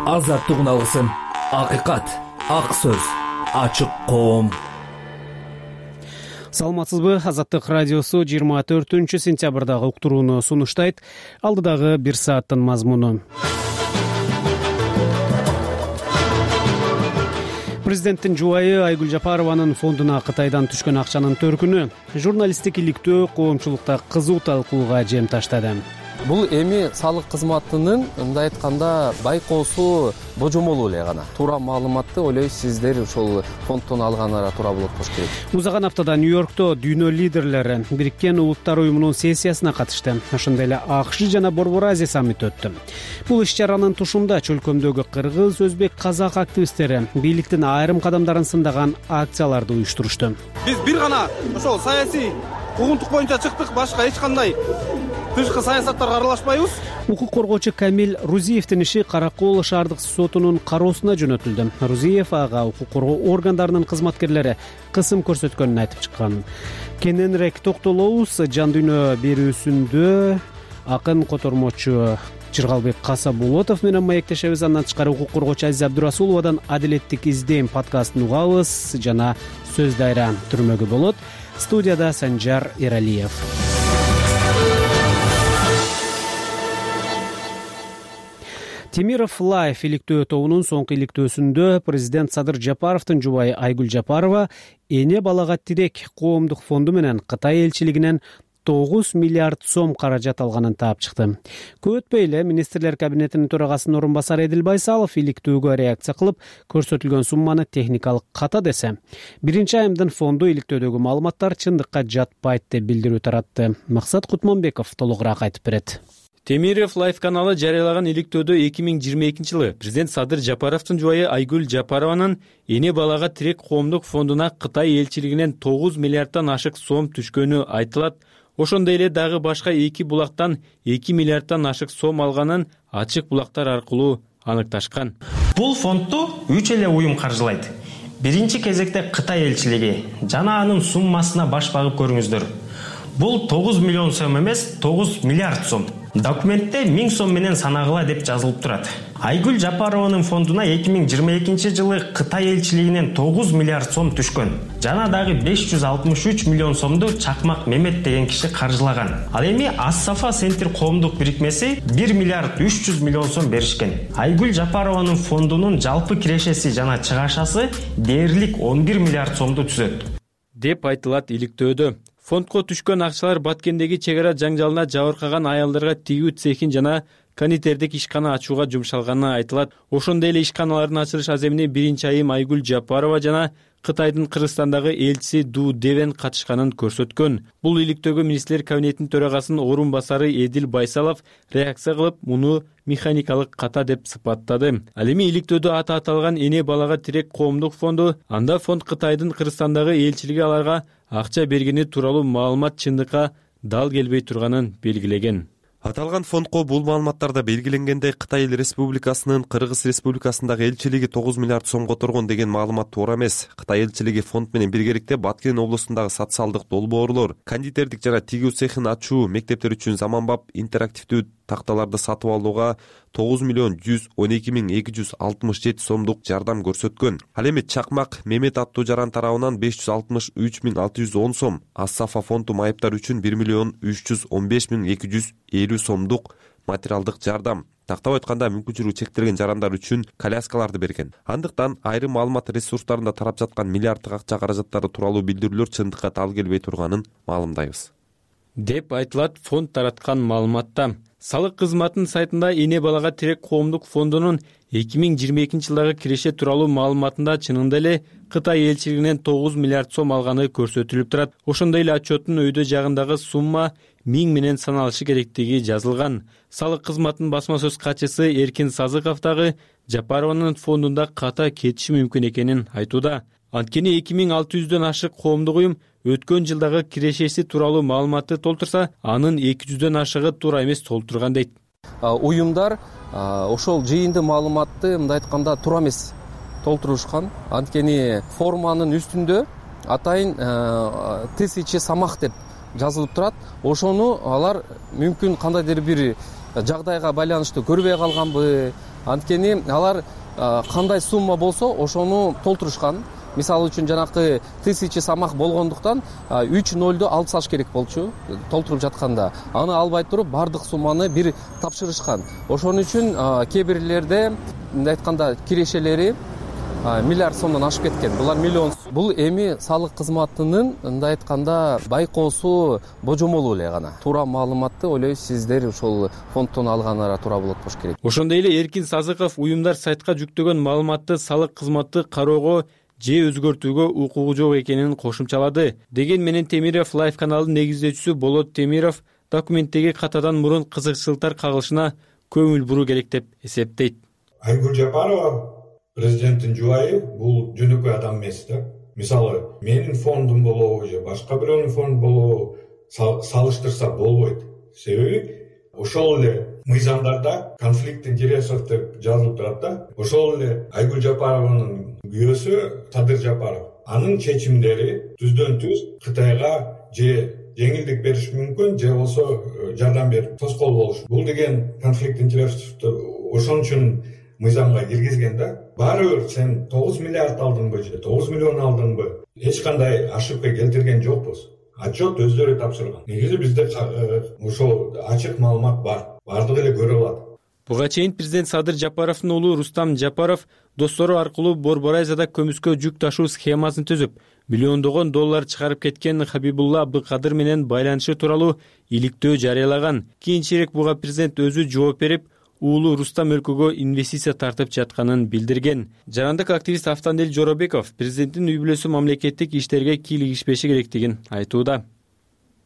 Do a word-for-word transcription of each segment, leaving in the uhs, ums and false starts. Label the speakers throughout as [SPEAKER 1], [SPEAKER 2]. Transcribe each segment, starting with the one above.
[SPEAKER 1] азаттык алгысым, акыйкат, ак сөз, ачык коом.
[SPEAKER 2] Саламатсызбы? Азаттык радиосу жыйырма төртүнчү сентябрдагы уктурууну сунуштайт. Алдыдагы бир сааттын мазмуну. Президенттин жубайы Айгүл Жапарованын фондуна Кытайдан түшкөн акчанын төркүнү журналисттик иликтөө коомчулукта кызуу талкууга жем таштады.
[SPEAKER 3] Бул эми салык кызматынын мындай айтканда байкоосу божомолу эле гана. Туура маалыматты ойлойм сиздер ошол фонддон алганыңарга туура болот болуш керек.
[SPEAKER 2] Узаган аптада Нью-Йоркто дүйнө лидерлери Бириккен Улуттар уюмунун сессиясына катышты. Ошондой эле АКШ жана Борбор Азия саммити өттү. Бул иш-чаранын тушунда чөлкөмдөгү кыргыз, өзбек, казак активисттери бийликтин айрым кадамдарын сындаган акцияларды уюштурушту.
[SPEAKER 4] Биз бир гана ошол саясий куугунтук боюнча чыктык, башка эч кандай тышкы саясаттарга аралашпайбыз.
[SPEAKER 2] Укук коргоочу Камил Рузиевдин иши Каракол шаардык сотунун кароосуна жөнөтүлдү. Рузиев ага укук коргоо органдарынын кызматкерлери кысым көрсөткөнүн айтып чыккан. Кененирээк токтолобуз. Жан дүйнө берүүсүндө акын котормочу Чыргалбек Касабулотов менен маектешебиз. Андан тышкары укук коргоочу Азиз Абдурасуловадан Адилеттик издейм подкастын угабыз жана сөз дайра түрмөгү болот. Студияда Санжар Эралиев. Темиров Лайф иликтөө тобунун соңку иликтөөсүндө президент Садыр Жапаровдун жубайы Айгүл Жапарова эне балага тирек коомдук фонду менен Кытай элчилигинен тогуз миллиард сом каражат алганын таап чыкты. Көп өтпөй эле министрлер кабинетинин төрагасынын орун басары Эдил Байсалов иликтөөгө реакция кылып, көрсөтүлгөн сумманы техникалык ката десе, биринчи айымдын фонду иликтөөдөгү маалыматтар чындыкка жатпайт деп билдирүү таратты. Максат Кутманбеков толугураак айтып берет.
[SPEAKER 5] Темиров Лайф каналы жарыялаган иликтөөдө эки миң жыйырма экинчи жылы президент Садыр Жапаровдун жубайы Айгүл Жапарованын эне балага тирек коомдук фондуна Кытай элчилигинен тогуз миллиарддан ашык сом түшкөнү айтылат. Ошондой эле дагы башка эки булактан эки миллиарддан ашык сом алганын ачык булактар аркылуу аныкташкан.
[SPEAKER 6] Бул фондду үч эле уюм каржылайт. Биринчи кезекте Кытай элчилиги жана анын суммасына баш багып көрүңүздөр. Бул тогуз миллион сом эмес, тогуз миллиард сом. Документте миң сом менен санагыла деп жазылып турат. Айгүл Жапарованын фондуна эки миң жыйырма экинчи жылы Кытай элчилигинен тогуз миллиард сом түшкөн. Жана дагы беш жүз алтымыш үч миллион сомду Чакмак Мемет деген киши каржылаган. Ал эми Ас-Сафа Центр коомдук бирикмеси бир миллиард үч жүз миллион сом беришкен. Айгүл Жапарованын фондунун жалпы кирешеси жана чыгашасы дээрлик он бир миллиард сомду түзөт
[SPEAKER 5] деп айтылат иликтөөдө. Фондко түшкөн акчалар Баткендеги чек ара жаңжалына жабыркаган аялдарга тигүү цехин жана кондитердик ишкана ачууга жумшалганы айтылат. Ошондой эле ишканалардын ачылыш аземине биринчи айым Айгүл Жапарова жана Кытайдын Кыргызстандагы элчиси Ду Девен катышканын көрсөткөн. Бул иликтөөгө министрлер кабинетинин төрагасынын орун басары Эдил Байсалов реакция кылып, муну механикалык ката деп сыпаттады. Ал эми иликтөөдө аты аталган эне балага тирек коомдук фонду, анда фонд Кытайдын Кыргызстандагы элчилиги аларга акча бергени тууралуу маалымат чындыкка дал келбей турганын белгилеген.
[SPEAKER 7] Аталган фондко бул маалыматтарда белгиленгендей Кытай Эл Республикасынын Кыргыз Республикасындагы элчилиги тогуз миллиард сом которгон деген маалымат туура эмес. Кытай элчилиги фонд менен биргеликте Баткен облусундагы социалдык долбоорлор, кондитердик жана тигүү цехин ачуу, мектептер үчүн заманбап интерактивдүү такталарды сатып алууга тогуз миллион жүз он эки миң эки жүз алтымыш жети сомдук жардам көрсөткөн. Ал эми Чакмак Мемет аттуу жаран тарабынан беш жүз алтымыш үч миң алты жүз он сом, Ас-Сафа фонду майыптар үчүн бир миллион үч жүз он беш миң эки жүз элүү сомдук материалдык жардам. Тактап айтканда мүмкүнчүлүгү чектелген жарандар үчүн коляскаларды берген. Андыктан айрым маалымат ресурстарында тарап жаткан миллиарддык акча каражаттары тууралуу билдирүүлөр чындыкка тал келбей турганын маалымдайбыз
[SPEAKER 5] деп айтылат фонд тараткан маалыматта. Салык кызматынын сайтында эне балага тирек коомдук фондунун эки миң жыйырма экинчи жылдагы киреше тууралуу маалыматында чынында эле Кытай элчилигинен тогуз миллиард сом алганы көрсөтүлүп турат. Ошондой эле отчеттун өйдө жагындагы сумма миң менен саналышы керектиги жазылган. Салык кызматынын басма сөз катчысы Эркин Сазыков дагы Жапарованын фондунда ката кетиши мүмкүн экенин айтууда. Анткени эки миң алты жүздөн ашык коомдук уюм өткөн жылдагы кирешеси тууралуу маалыматты толтурса, анын эки жүздөн ашыгы туура эмес толтурган дейт.
[SPEAKER 3] Уюмдар ошол жыйынды маалыматты мындай айтканда туура эмес толтурушкан. Анткени форманын үстүндө атайын тысяча самах деп жазылып турат. Ошону алар мүмкүн кандайдыр бир жагдайга байланыштуу көрбөй калганбы Анткени алар кандай сумма болсо ошону толтурушкан. Мисалы үчүн жанакы тысяча самак болгондуктан үч нолду алып салыш керек болчу толтуруп жатканда. Аны албай туруп бардык сумманы бир тапшырышкан. Ошон үчүн кээ бирлерде мындай айтканда кирешелери миллиард сомдон ашып кеткен. Булар миллион. Бул эми салык кызматынын мындай айтканда байкоосу божомолу эле гана. Туура маалыматты ойлойм сиздер ошол фонддон алганыңар туура болот болуш керек.
[SPEAKER 5] Ошондой эле Эркин Сазыков уюмдар сайтка жүктөгөн маалыматты салык кызматы кароого же өзгөртүүгө укугу жок экенин кошумчалады. Деген менен Темиров Лайф каналынын негиздөөчүсү Болот Темиров документтеги катадан мурун кызыкчылыктар кагылышына көңүл буруу керек деп эсептейт.
[SPEAKER 8] Айгүл Жапарова президенттин жубайы бул жөнөкөй адам эмес да. Мисалы, менин фондум болобу же башка бирөөнүн фонду болобу салыштырса болбойт. Себеби ошол эле мыйзамдарда конфликт интересов деп жазылып турат да. Ошол эле Айгүл Жапарованын күйөөсү Садыр Жапаров. Анын чечимдери түздөн түз Кытайга же жеңилдик бериш мүмкүн, же болсо жардам берип тоскоол болуш. Бул деген конфликт интересов ошон үчүн мыйзамга киргизген да. Баары бир сен тогуз миллиард алдыңбы же тогуз миллион алдыңбы? Эч кандай ошибка келтирген жокпуз. Отчет өздөрү тапшырган. Негизи бизде ошол ачык маалымат бар. Бардыгы эле көрө алат.
[SPEAKER 5] Буга чейин президент Садыр Жапаровдун уулу Рустам Жапаров достору аркылуу Борборайзада көмүскө жүк ташуу схемасын түзүп, миллиондогон доллар чыгарып кеткен Хабибулла Абдыкадыр менен байланышы тууралуу иликтөө жарыялаган. Кийинчерээк буга президент өзү жооп берип, уулу Рустам өлкөгө инвестиция тартып жатканын билдирген. Жарандык активист Автандел Жоробеков президенттин үй бүлөсү мамлекеттик иштерге кийлигишпеши керектигин айтууда.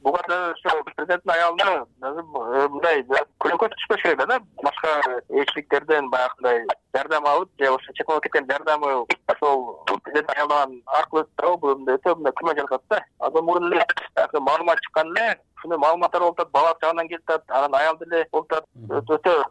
[SPEAKER 9] Буга да президенттин аялына мындай көлөкө түшпөш керек да, башка элчиликтерден баягындай жардам алып, же ошо чет мамлекеттен жардамы ошол президент аялынан аркылуу өтүп, бул өтө мындай күмө жатат да. Азыр мурун эле маалымат чыккан эле, ушундай маалыматтар болуп атат, бала жагынан келип атат, анан аялды эле болуп атат, өтө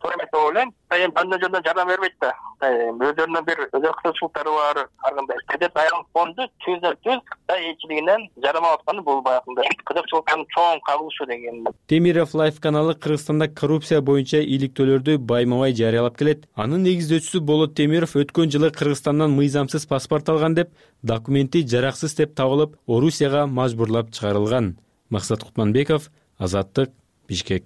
[SPEAKER 9] туура эмес деп ойлойм. Эми жөн жөндөн жардам бербейт да. Өздөрүнүн бир өзөк кызыкчылыктары бар. Ар кандай президент аялдын фонду түздөн түз Кытай элчилигинен жардам алып атканы бул баягындай кызыкчылыктын чоң кагылышы деген.
[SPEAKER 5] Темиров Лайф каналы Кыргызстанда коррупция боюнча иликтөөлөрдү байма-бай жарыялап келет. Анын негиздөөчүсү Болот Темиров өткөн жылы Кыргызстандан мыйзамсыз паспорт алган деп, документи жараксыз деп табылып, Орусияга мажбурлап чыгарылган. Максат Кутманбеков, Азаттык, Бишкек.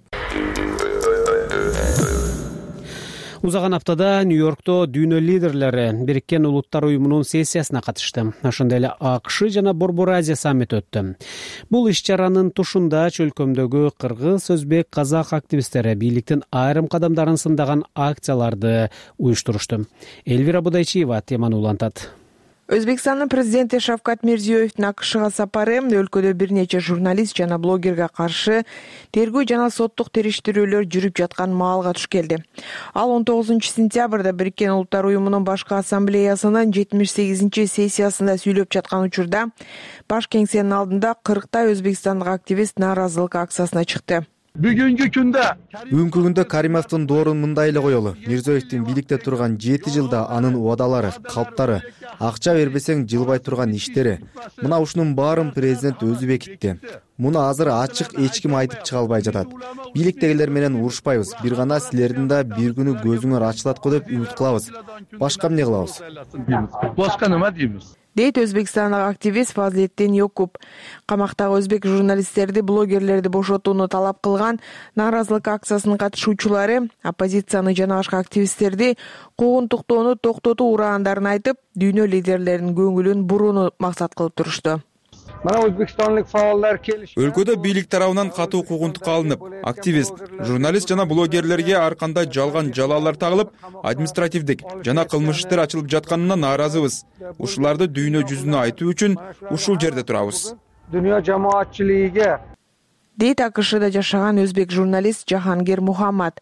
[SPEAKER 2] Узаган аптада Нью-Йоркто дүйнө лидерлери Бириккен Улуттар уюмунун сессиясына катышты. Ошондой эле АКШ жана Борбор Азия саммити өттү. Бул иш-чаранын тушунда чөлкөмдөгү кыргыз, өзбек, казак активисттери бийликтин айрым кадамдарын сындаган акцияларды уюштурушту. Элвира Будайчиева теманы улантат.
[SPEAKER 10] Өзбекстандын президенти Шавкат Мирзиёевдин АКШга сапары өлкөдө бир нече журналист жана блогерге каршы тергөө жана соттук териштирүүлөр жүрүп жаткан маалга туш келди. Ал он тогузунчу сентябрда Бириккен Улуттар уюмунун башкы ассамблеясынын жетимиш сегизинчи сессиясында сүйлөп жаткан учурда баш кеңсенин алдында кырктай өзбекстандык активист нааразылык акциясына чыкты.
[SPEAKER 11] Бүгүнкү күндө бүгүнкү күндө Каримовдун доорун мындай эле коелу. Мирзиёевдин бийликте турган жети жылда анын убадалары, калптары, акча бербесең жылбай турган иштери, мына ушунун баарын президент өзү бекитти. Муну азыр ачык эч ким айтып чыга албай жатат. Бийликтегилер менен урушпайбыз. Бир гана силердин да бир күнү көзүңөр ачылат го деп үмүт кылабыз. Башка эмне кылабыз? Башка неме дейбиз?
[SPEAKER 10] Дейт өзбекстандык активист Фазлетдин Йокуп. Камактагы өзбек журналисттерди, блогерлерди бошотууну талап кылган нааразылык акциясынын катышуучулары оппозицияны жана башка активисттерди куугунтуктоону токтотуу урандарын айтып, дүйнө лидерлеринин көңүлүн бурууну максат кылып турушту.
[SPEAKER 12] Өлкөдө бийлик тарабынан катуу куугунтукка алынып, активист, журналист жана блогерлерге ар кандай жалган жалаалар тагылып, административдик жана кылмыш иштер ачылып жатканына нааразыбыз. Ушуларды дүйнө жүзүнө айтуу үчүн ушул жерде турабыз.
[SPEAKER 11] Дүйнө жамаатчылыгы
[SPEAKER 10] дейт АКШда жашаган өзбек журналист Жахангир Мухаммад.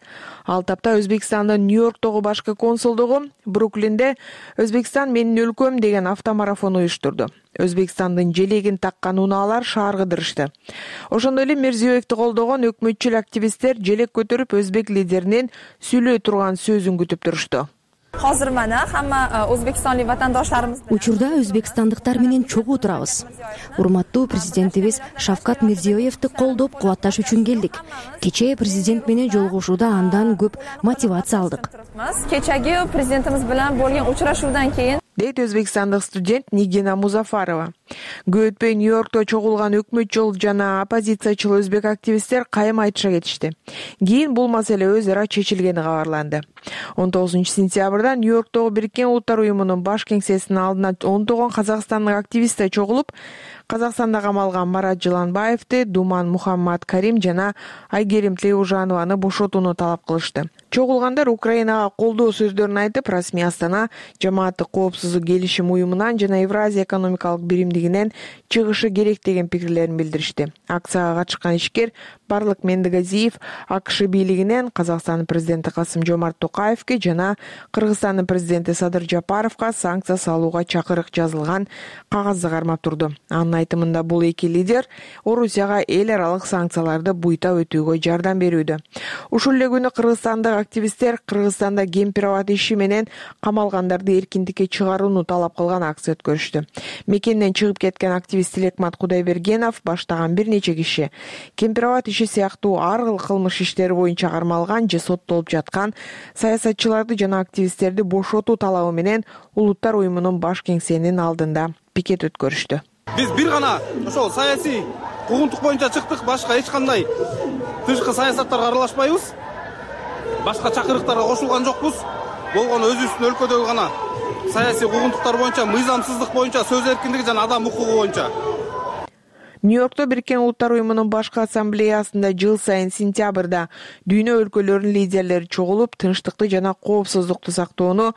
[SPEAKER 10] Ал тапта Өзбекстандын Нью-Йорктогу башкы консулдугу Бруклинде «Өзбекстан менин өлкөм» деген автомарафон уюштурду. Өзбекстандын желегин таккан унаалар шаар кыдырышты. Ошондой эле Мирзиёевди колдогон өкмөтчүл активисттер желек көтөрүп өзбек лидеринин сүйлөй турган сөзүн күтүп турушту.
[SPEAKER 13] Hozir mana hamma o'zbekistonlik vatandoshlarimiz
[SPEAKER 14] учурда өзбекстандыктар менен чогуу турабыз. Урматтуу президентибиз Шавкат Мирзиёевди колдоп кубатташ үчүн келдик. Кечээ президент менен жолугушууда андан көп мотивация алдык.
[SPEAKER 13] Kechagi prezidentimiz bilan bo'lgan uchrashuvdan keyin
[SPEAKER 10] дейт өзбекстандык студент Нигина Музафарова. Көп өтпөй Нью-Йоркто чогулган өкмөтчүл жана оппозициячыл өзбек активисттер кайым айтыша кетишти. Кийин бул маселе өз ара чечилгени кабарланды. он тогузунчу сентябрда Нью-Йорктогу Бириккен Улуттар уюмунун баш кеңсесинин алдына ондогон казакстандык активисттер чогулуп, Казакстанда камалган Марат Жыланбаевди, Думан Мухаммад Карим жана Айгерим Тлеужанованы бошотууну талап кылышты. Чогулгандар Украинага колдоо сөздөрүн айтып, расмий Астана жамааттык коопсуздук келишим уюмунан жана Евразия экономикалык биримдигинен чыгышы керек деген пикирлерин билдиришти. Акцияга катышкан ишкер Барлык Мендигазиев АКШ бийлигинен Казакстандын президенти Касым-Жомарт Токаевге жана Кыргызстандын президенти Садыр Жапаровго санкция салууга чакырык жазылган кагазды кармап турду. Анын айтымында бул эки лидер Орусияга эл аралык санкцияларды буйта өтүүгө жардам берүүдө. Ушул эле күнү кыргызстандык активисттер Кыргызстанда кемпир-абад иши менен камалгандарды эркиндикке чыгарууну талап кылган акция өткөрүштү. Мекенден чыгып кеткен активист Тилекмат Кудайбергенов баштаган бир нече киши кемпир-абад иши сыяктуу ар кыл кылмыш иштери боюнча кармалган же соттолуп жаткан саясатчыларды жана активисттерди бошотуу талабы менен Улуттар уюмунун баш кеңсесинин алдында пикет өткөрүштү.
[SPEAKER 4] Биз бир гана ошол саясий куугунтук боюнча чыктык, башка эч кандай тышкы саясаттарга аралашпайбыз. Башка чакырыктарга кошулган жокпуз. Болгону өзүбүздүн өлкөдөгү гана саясий куугунтуктар боюнча, мыйзамсыздык боюнча, сөз эркиндиги жана адам укугу боюнча.
[SPEAKER 10] Нью-Йоркто Бириккен Улуттар уюмунун башкы ассамблеясында жыл сайын сентябрда дүйнө өлкөлөрүнүн лидерлери чогулуп, тынчтыкты жана коопсуздукту сактоону,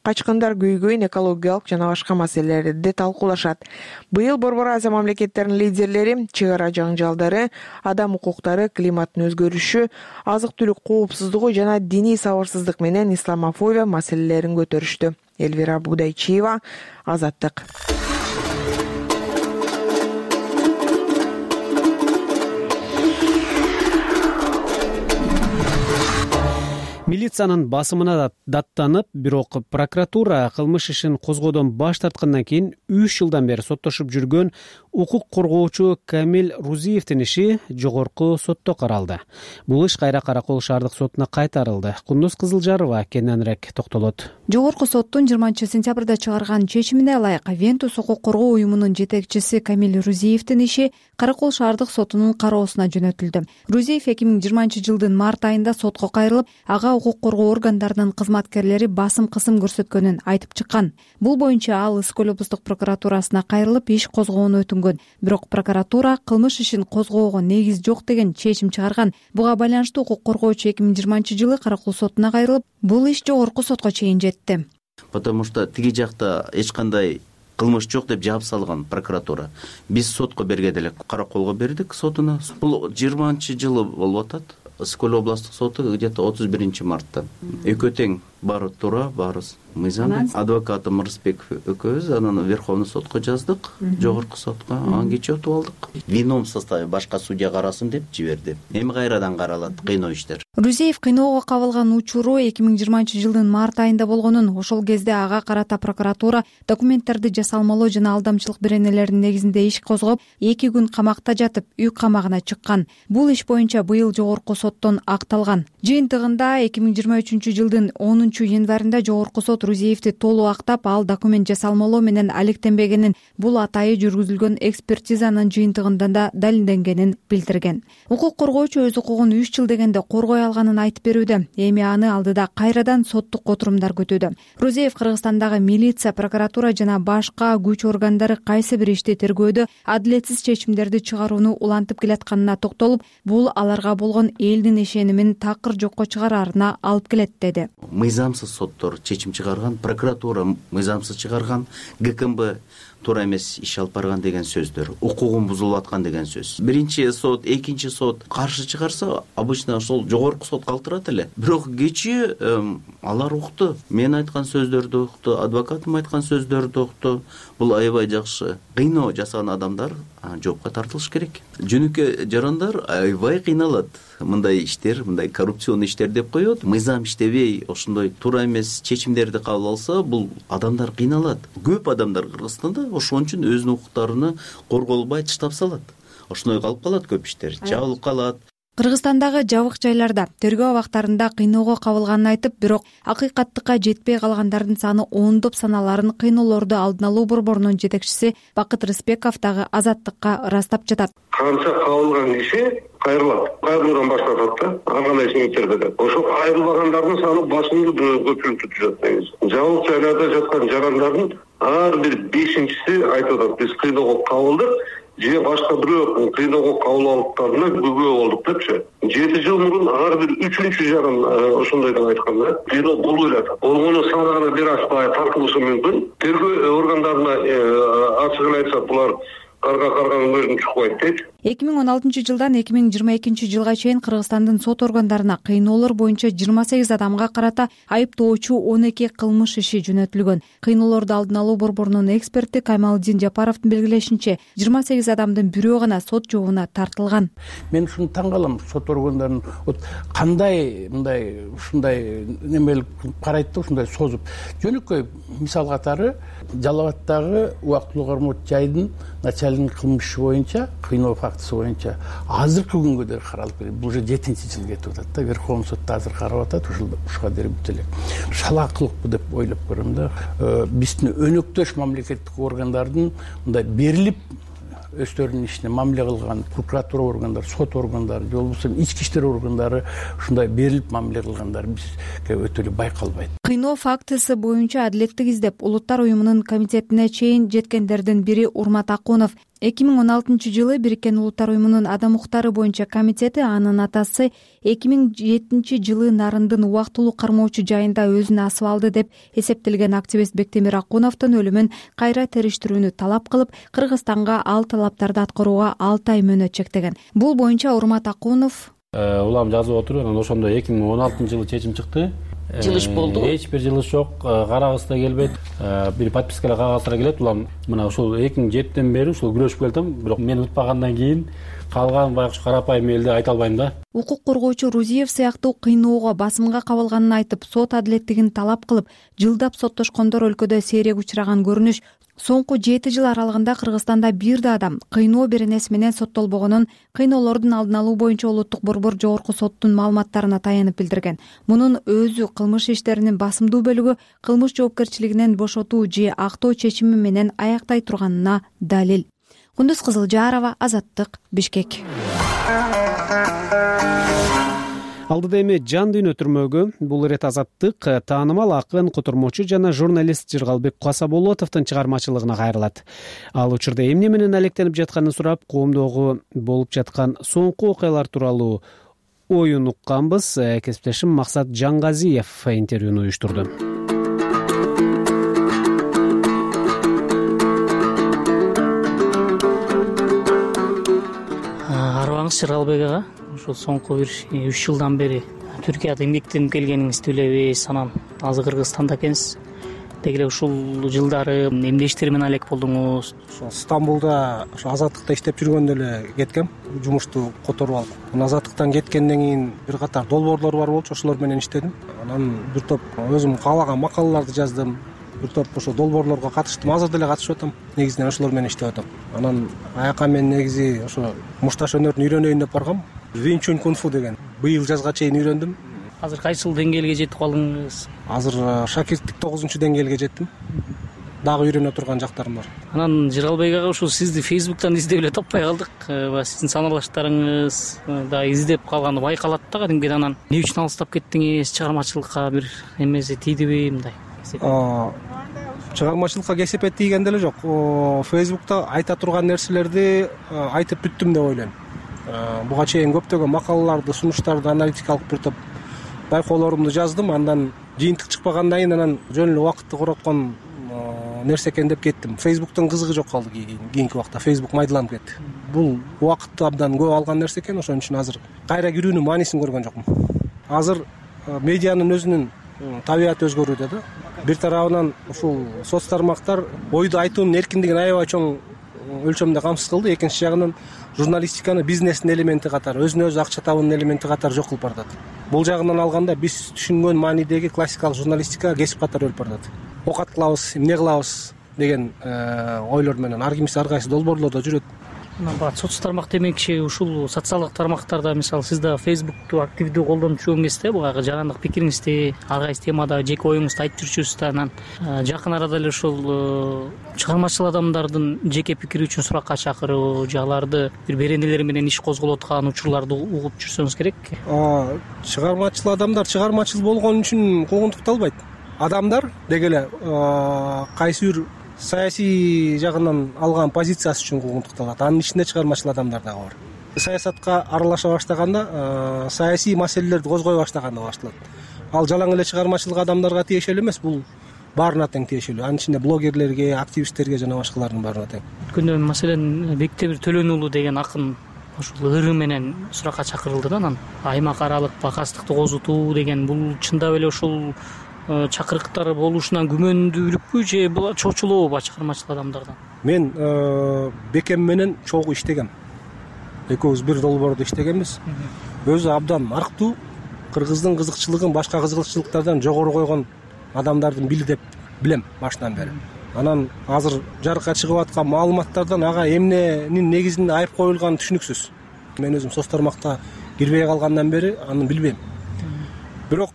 [SPEAKER 10] качкындар көйгөйүн, экологиялык жана башка маселелерди талкуулашат. Быйыл Борбор Азия мамлекеттеринин лидерлери чек ара жаңжалдары, адам укуктары, климаттын өзгөрүшү, азык-түлүк коопсуздугу жана диний сабырсыздык менен исламофобия маселелерин көтөрүштү. Элвира Будайчиева, Азаттык.
[SPEAKER 2] Милициянын басымына даттанып, бирок прокуратура кылмыш ишин козгоодон баш тарткандан кийин үч жылдан бери соттошуп жүргөн укук коргоочу Камил Рузиевдин иши жогорку сотто каралды. Бул иш кайра Каракол шаардык сотуна кайтарылды. Кундуз Кызылжарова кененирээк токтолот.
[SPEAKER 15] Жогорку соттун жыйырманчы сентябрда чыгарган чечимине ылайык Вентус укук коргоо уюмунун жетекчиси Камил Рузиевдин иши Каракол шаардык сотунун кароосуна жөнөтүлдү. Рузиев эки миң жыйырманчы жылдын март айында сотко кайрылып, ага укук коргоо органдарынын кызматкерлери басым кысым көрсөткөнүн айтып чыккан. Бул боюнча ал Ысык-Көл облустук прокуратурасына кайрылып, иш козгоону өтүнгөн. Бирок прокуратура кылмыш ишин козгоого негиз жок деген чечим чыгарган. Буга байланыштуу укук коргоочу эки миң жыйырманчы жылы Каракол сотуна кайрылып, бул иш жогорку сотко чейин жетти.
[SPEAKER 16] Потому что тиги жакта эч кандай кылмыш жок деп жаап салган прокуратура. Биз сотко бергенде эле Караколго бердик сотуна. Бул жыйырманчы жылы болуп атат. Ысык-Көл областык соту где-то отуз биринчи мартта. Экөө тең, баары туура, баары мыйзам. Адвокатым Рысбеков экөөбүз анан Верховный сотко жаздык, жогорку сотко, анан кечээ отуп алдык. Вином составе башка судья карасын деп жиберди. Эми кайрадан каралат кыйноо иштер.
[SPEAKER 15] Рузиев кыйноого кабылган учуру эки миң жыйырманчы жылдын март айында болгонун, ошол кезде ага карата прокуратура документтерди жасалмалоо жана алдамчылык беренелеринин негизинде иш козгоп, эки күн камакта жатып, үй камагына чыккан. Бул иш боюнча быйыл жогорку соттон акталган. Жыйынтыгында эки миң жыйырма үчүнчү жылдын онунчу январында жогорку сот Рузиевди толук актап, ал документ жасалмалоо менен алектенбегенин, бул атайы жүргүзүлгөн экспертизанын жыйынтыгында да далилденгенин билдирген. Укук коргоочу өз укугун үч жыл дегенде коргой алганын айтып берүүдө. Эми аны алдыда кайрадан соттук отурумдар күтүүдө. Рузиев Кыргызстандагы милиция, прокуратура жана башка күч органдары кайсы бир ишти тергөөдө адилетсиз чечимдерди чыгарууну улантып келатканына токтолуп, бул аларга болгон элдин ишенимин такыр жокко чыгараарына алып келет деди.
[SPEAKER 16] Мыйзамсыз соттор чечим чыгарган, прокуратура мыйзамсыз чыгарган, ГКМБ туура эмес иш алып барган деген сөздөр, укугун бузулуп аткан деген сөз. Биринчи сот, экинчи сот каршы чыгарса, обычно ошол жогорку сот калтырат эле. Бирок кечээ алар укту, мен айткан сөздөрдү укту, адвокатым айткан сөздөрдү укту. Бул аябай жакшы. Кыйноо жасаган адамдар жоопко тартылыш керек. Жөнөкөй жарандар аябай кыйналат. Мындай иштер, мындай коррупцион иштер деп коет. Мыйзам иштебей, ошондой туура эмес чечимдерди кабыл алса, бул адамдар кыйналат. Көп адамдар Кыргызстанда ошон үчүн өзүнүн укуктарына корголбай таштап салат. Ошондой калып калат көп иштер, жабылып калат.
[SPEAKER 15] Кыргызстандагы жабык жайларда тергөө абактарында кыйноого кабылганын айтып, бирок акыйкаттыкка жетпей калгандардын саны ондоп саналарын кыйноолорду алдын алуу борборунун жетекчиси Бакыт Рыспеков дагы Азаттыкка ырастап жатат.
[SPEAKER 17] Канча кабылган киши кайрылат, кайрылуудан башташат да, ар кандай себептерде да. Ошол кайрылбагандардын саны басымдуу көпчүлүктү түзөт негизи. Жабык жайларда жаткан жарандардын ар бир бешинчиси айтып атат, биз кыйноого кабылдык, же башка бирөө кыйноого кабыл алыптарына күбө болдук депчи. Жети жыл мурун ар бир үчүнчү жаран ошондойдон айткан да. Кыйноо болбой эле атат. Болгону санаганы бир аз тартылышы мүмкүн. Тергөө органдарына ачыгын айтсак, булар карга карганын өзүн чукпайт дейт.
[SPEAKER 15] эки миң он алтынчы жылдан эки миң жыйырма экинчи жылга чейин Кыргызстандын сот органдарына кыйноолор боюнча жыйырма сегиз адамга карата айыптоочу он эки кылмыш иши жөнөтүлгөн. Кыйноолорду алдын алуу борборунун эксперти Каймалдин Жапаровдун белгилешинче, жыйырма сегиз адамдын бирөө гана сот жообуна тартылган.
[SPEAKER 18] Мен ушуну таң калам, сот органдарынын кандай мындай ушундай немелик карайт да, ушундай созуп. Жөнөкөй мисал катары Жалал Абаддагы убактылуу кармоо жайдын начальник кылмыш иши боюнча, кыйноо фактысы боюнча азыркы күнгө дейин каралып келет. Бул уже жетинчи жыл кетип атат да. Верховный сотто азыр карап атат, ушул ушуга дейин бүт эле. Шалаакылыкпы деп ойлоп көрөм да. Биздин өнөктөш мамлекеттик органдардын мындай берилип өздөрүнүн ишине мамиле кылган прокуратура органдары, сот органдары, же болбосо ички иштер органдары ушундай берилип мамиле кылгандары бизге өтө эле байкалбайт.
[SPEAKER 15] Кыйноо фактысы боюнча адилеттик издеп Улуттар уюмунун комитетине чейин жеткендердин бири Урмат Акунов. эки миң он алтынчы жылы Бириккен Улуттар уюмунун адам укуктары боюнча комитети анын атасы эки миң жетинчи жылы Нарындын убактылуу кармоочу жайында өзүн асып алды деп эсептелген активист Бектемир Акуновдун өлүмүн кайра териштирүүнү талап кылып, Кыргызстанга ал талаптарды аткарууга алты ай мөөнөт чектеген. Бул боюнча Урмат Акунов
[SPEAKER 19] улам жазып отуруп, анан ошондо эки миң он алтынчы жылы чечим чыкты.
[SPEAKER 20] Жылыш болду.
[SPEAKER 19] Эч бир жылыш жок, карагыз да келбейт. Бир подпискалар кагаздары келет. Улам мына ушул эки миң жетиден бери ушул күрөшүп келатам, бирок мен утпагандан кийин калган байкуш карапайым элди айта албайм да.
[SPEAKER 15] Укук коргоочу Рузиев сыяктуу кыйноого, басымга кабылганын айтып, сот адилеттигин талап кылып, жылдап соттошкондор өлкөдө сейрек учураган көрүнүш. Соңку жети жыл аралыгында Кыргызстанда бир да адам кыйноо беренеси менен соттолбогонун кыйноолордун алдын алуу боюнча улуттук борбор жогорку соттун маалыматтарына таянып билдирген. Мунун өзү кылмыш иштеринин басымдуу бөлүгү кылмыш жоопкерчилигинен бошотуу же актоо чечими менен аяктай турганына далил. Кундуз Кызылжарова, Азаттык, Бишкек.
[SPEAKER 2] Алдыда эми жан дүйнө түрмөгү. Бул ирет Азаттык таанымал акын, котормочу жана журналист Жыргалбек Касаболотовдун чыгармачылыгына кайрылат. Ал учурда эмне менен алектенип жатканын сурап, коомдогу болуп жаткан соңку окуялар тууралуу оюн укканбыз. Кесиптешим Максат Жангазиев интервьюну уюштурду.
[SPEAKER 20] Арыбаңыз Жыргалбек ага. Ошол соңку бир үч жылдан бери Түркияда эмгектенип келгениңизди билебиз. Анан азыр Кыргызстанда экенсиз. Деги эле ушул жылдары эмне иштер менен алек болдуңуз?
[SPEAKER 21] Ошо Стамбулда ошо Азаттыкта иштеп жүргөндө эле кеткем, жумушту которуп алып. Анан Азаттыктан кеткенден кийин бир катар долбоорлор бар болчу, ошолор менен иштедим. Анан бир топ өзүм каалаган макалаларды жаздым. Бир топ ошо долбоорлорго катыштым, азыр деле катышып атам. Негизинен ошолор менен иштеп атам. Анан аяка мен негизи ошо мушташ өнөрүн үйрөнөйүн деп баргам. Винчун кунфу деген. Быйыл жазга чейин үйрөндүм.
[SPEAKER 20] Азыр кайсыл деңгээлге жетип калдыңыз?
[SPEAKER 21] Азыр шакирттик тогузунчу деңгээлге жеттим. Дагы үйрөнө турган жактарым бар.
[SPEAKER 20] Анан Жыргалбек ага ушул сизди Facebook'тан издеп эле таппай калдык. Сиздин саналаштарыңыз да издеп калганы байкалат да кадимгиден. Анан эмне үчүн алыстап кеттиңиз? Чыгармачылыкка бир эмеси тийдиби мындай?
[SPEAKER 21] Чыгармачылыкка кесепет тийген деле жок. Facebook'та айта турган нерселерди айтып бүттүм деп ойлойм. Буга чейин көптөгөн макалаларды, сунуштарды, аналитикалык бир топ байкоолорумду жаздым. Андан жыйынтык чыкпагандан кийин анан жөн эле убакытты короткон нерсе экен деп кеттим. Фейсбуктун кызыгы жок калды. Кийинки убакта Фейсбук майдаланып кетти. Бул убакытты абдан көп алган нерсе экен, ошон үчүн азыр кайра кирүүнүн маанисин көргөн жокмун. Азыр медианын өзүнүн табияты өзгөрүүдө да. Бир тарабынан ушул соц тармактар ойду айтуунун эркиндигин аябай чоң өлчөмдө камсыз кылды. Экинчи жагынан журналистиканы бизнестин элементи катары, өзүнө өзү акча табуунун элементи катары жок кылып баратат. Бул жагынан алганда биз түшүнгөн маанидеги классикалык журналистика кесип катары өлүп баратат. Окат кылабыз, эмне кылабыз деген ойлор менен ар кимиси ар кайсы долбоорлордо жүрөт.
[SPEAKER 20] Баягы соц тармак демекчи ушул социалдык тармактарда, мисалы, сиз да Фейсбукту активдүү колдонуп жүргөн кезде баягы жарандык пикириңизди, ар кайсы темада жеке оюңузду айтып жүрчүсүз да, анан жакын арада эле ушул чыгармачыл адамдардын жеке пикири үчүн суракка чакыруу, аларды бир беренелер менен иш козголуп аткан учурларды угуп жүрсөңүз керек.
[SPEAKER 21] Чыгармачыл адамдар чыгармачыл болгон үчүн куугунтукталбайт. Адамдар деги эле кайсы бир саясий жагынан алган позициясы үчүн куугунтукталат. Анын ичинде чыгармачыл адамдар дагы бар. Саясатка аралаша баштаганда, саясий маселелерди козгой баштаганда башталат. Ал жалаң эле чыгармачылык адамдарга тиешелүү эмес, бул баарына тең тиешелүү. Анын ичинде блогерлерге, активисттерге жана башкалардын баарына тең.
[SPEAKER 20] Өткөндө маселен Бектемир Төлөн уулу деген акын ушул ыры менен суракка чакырылды да, анан аймак аралык бакастыкты козутуу деген, бул чындап эле ушул чакырыктар болушунан күмөндүүлүкпү же бул чочулообу чыгармачыл адамдардан?
[SPEAKER 21] Мен Бекем менен чогуу иштегем. Экөөбүз бир долбоордо иштегенбиз. Өзү абдан арктуу, кыргыздын кызыкчылыгын башка кызыкчылыктардан жогору койгон адамдардын бири деп билем башынан бери. Анан азыр жарыкка чыгып аткан маалыматтардан ага эмненин негизинде айып коюлганы түшүнүксүз. Мен өзүм соц тармакта кирбей калгандан бери аны билбейм. Бирок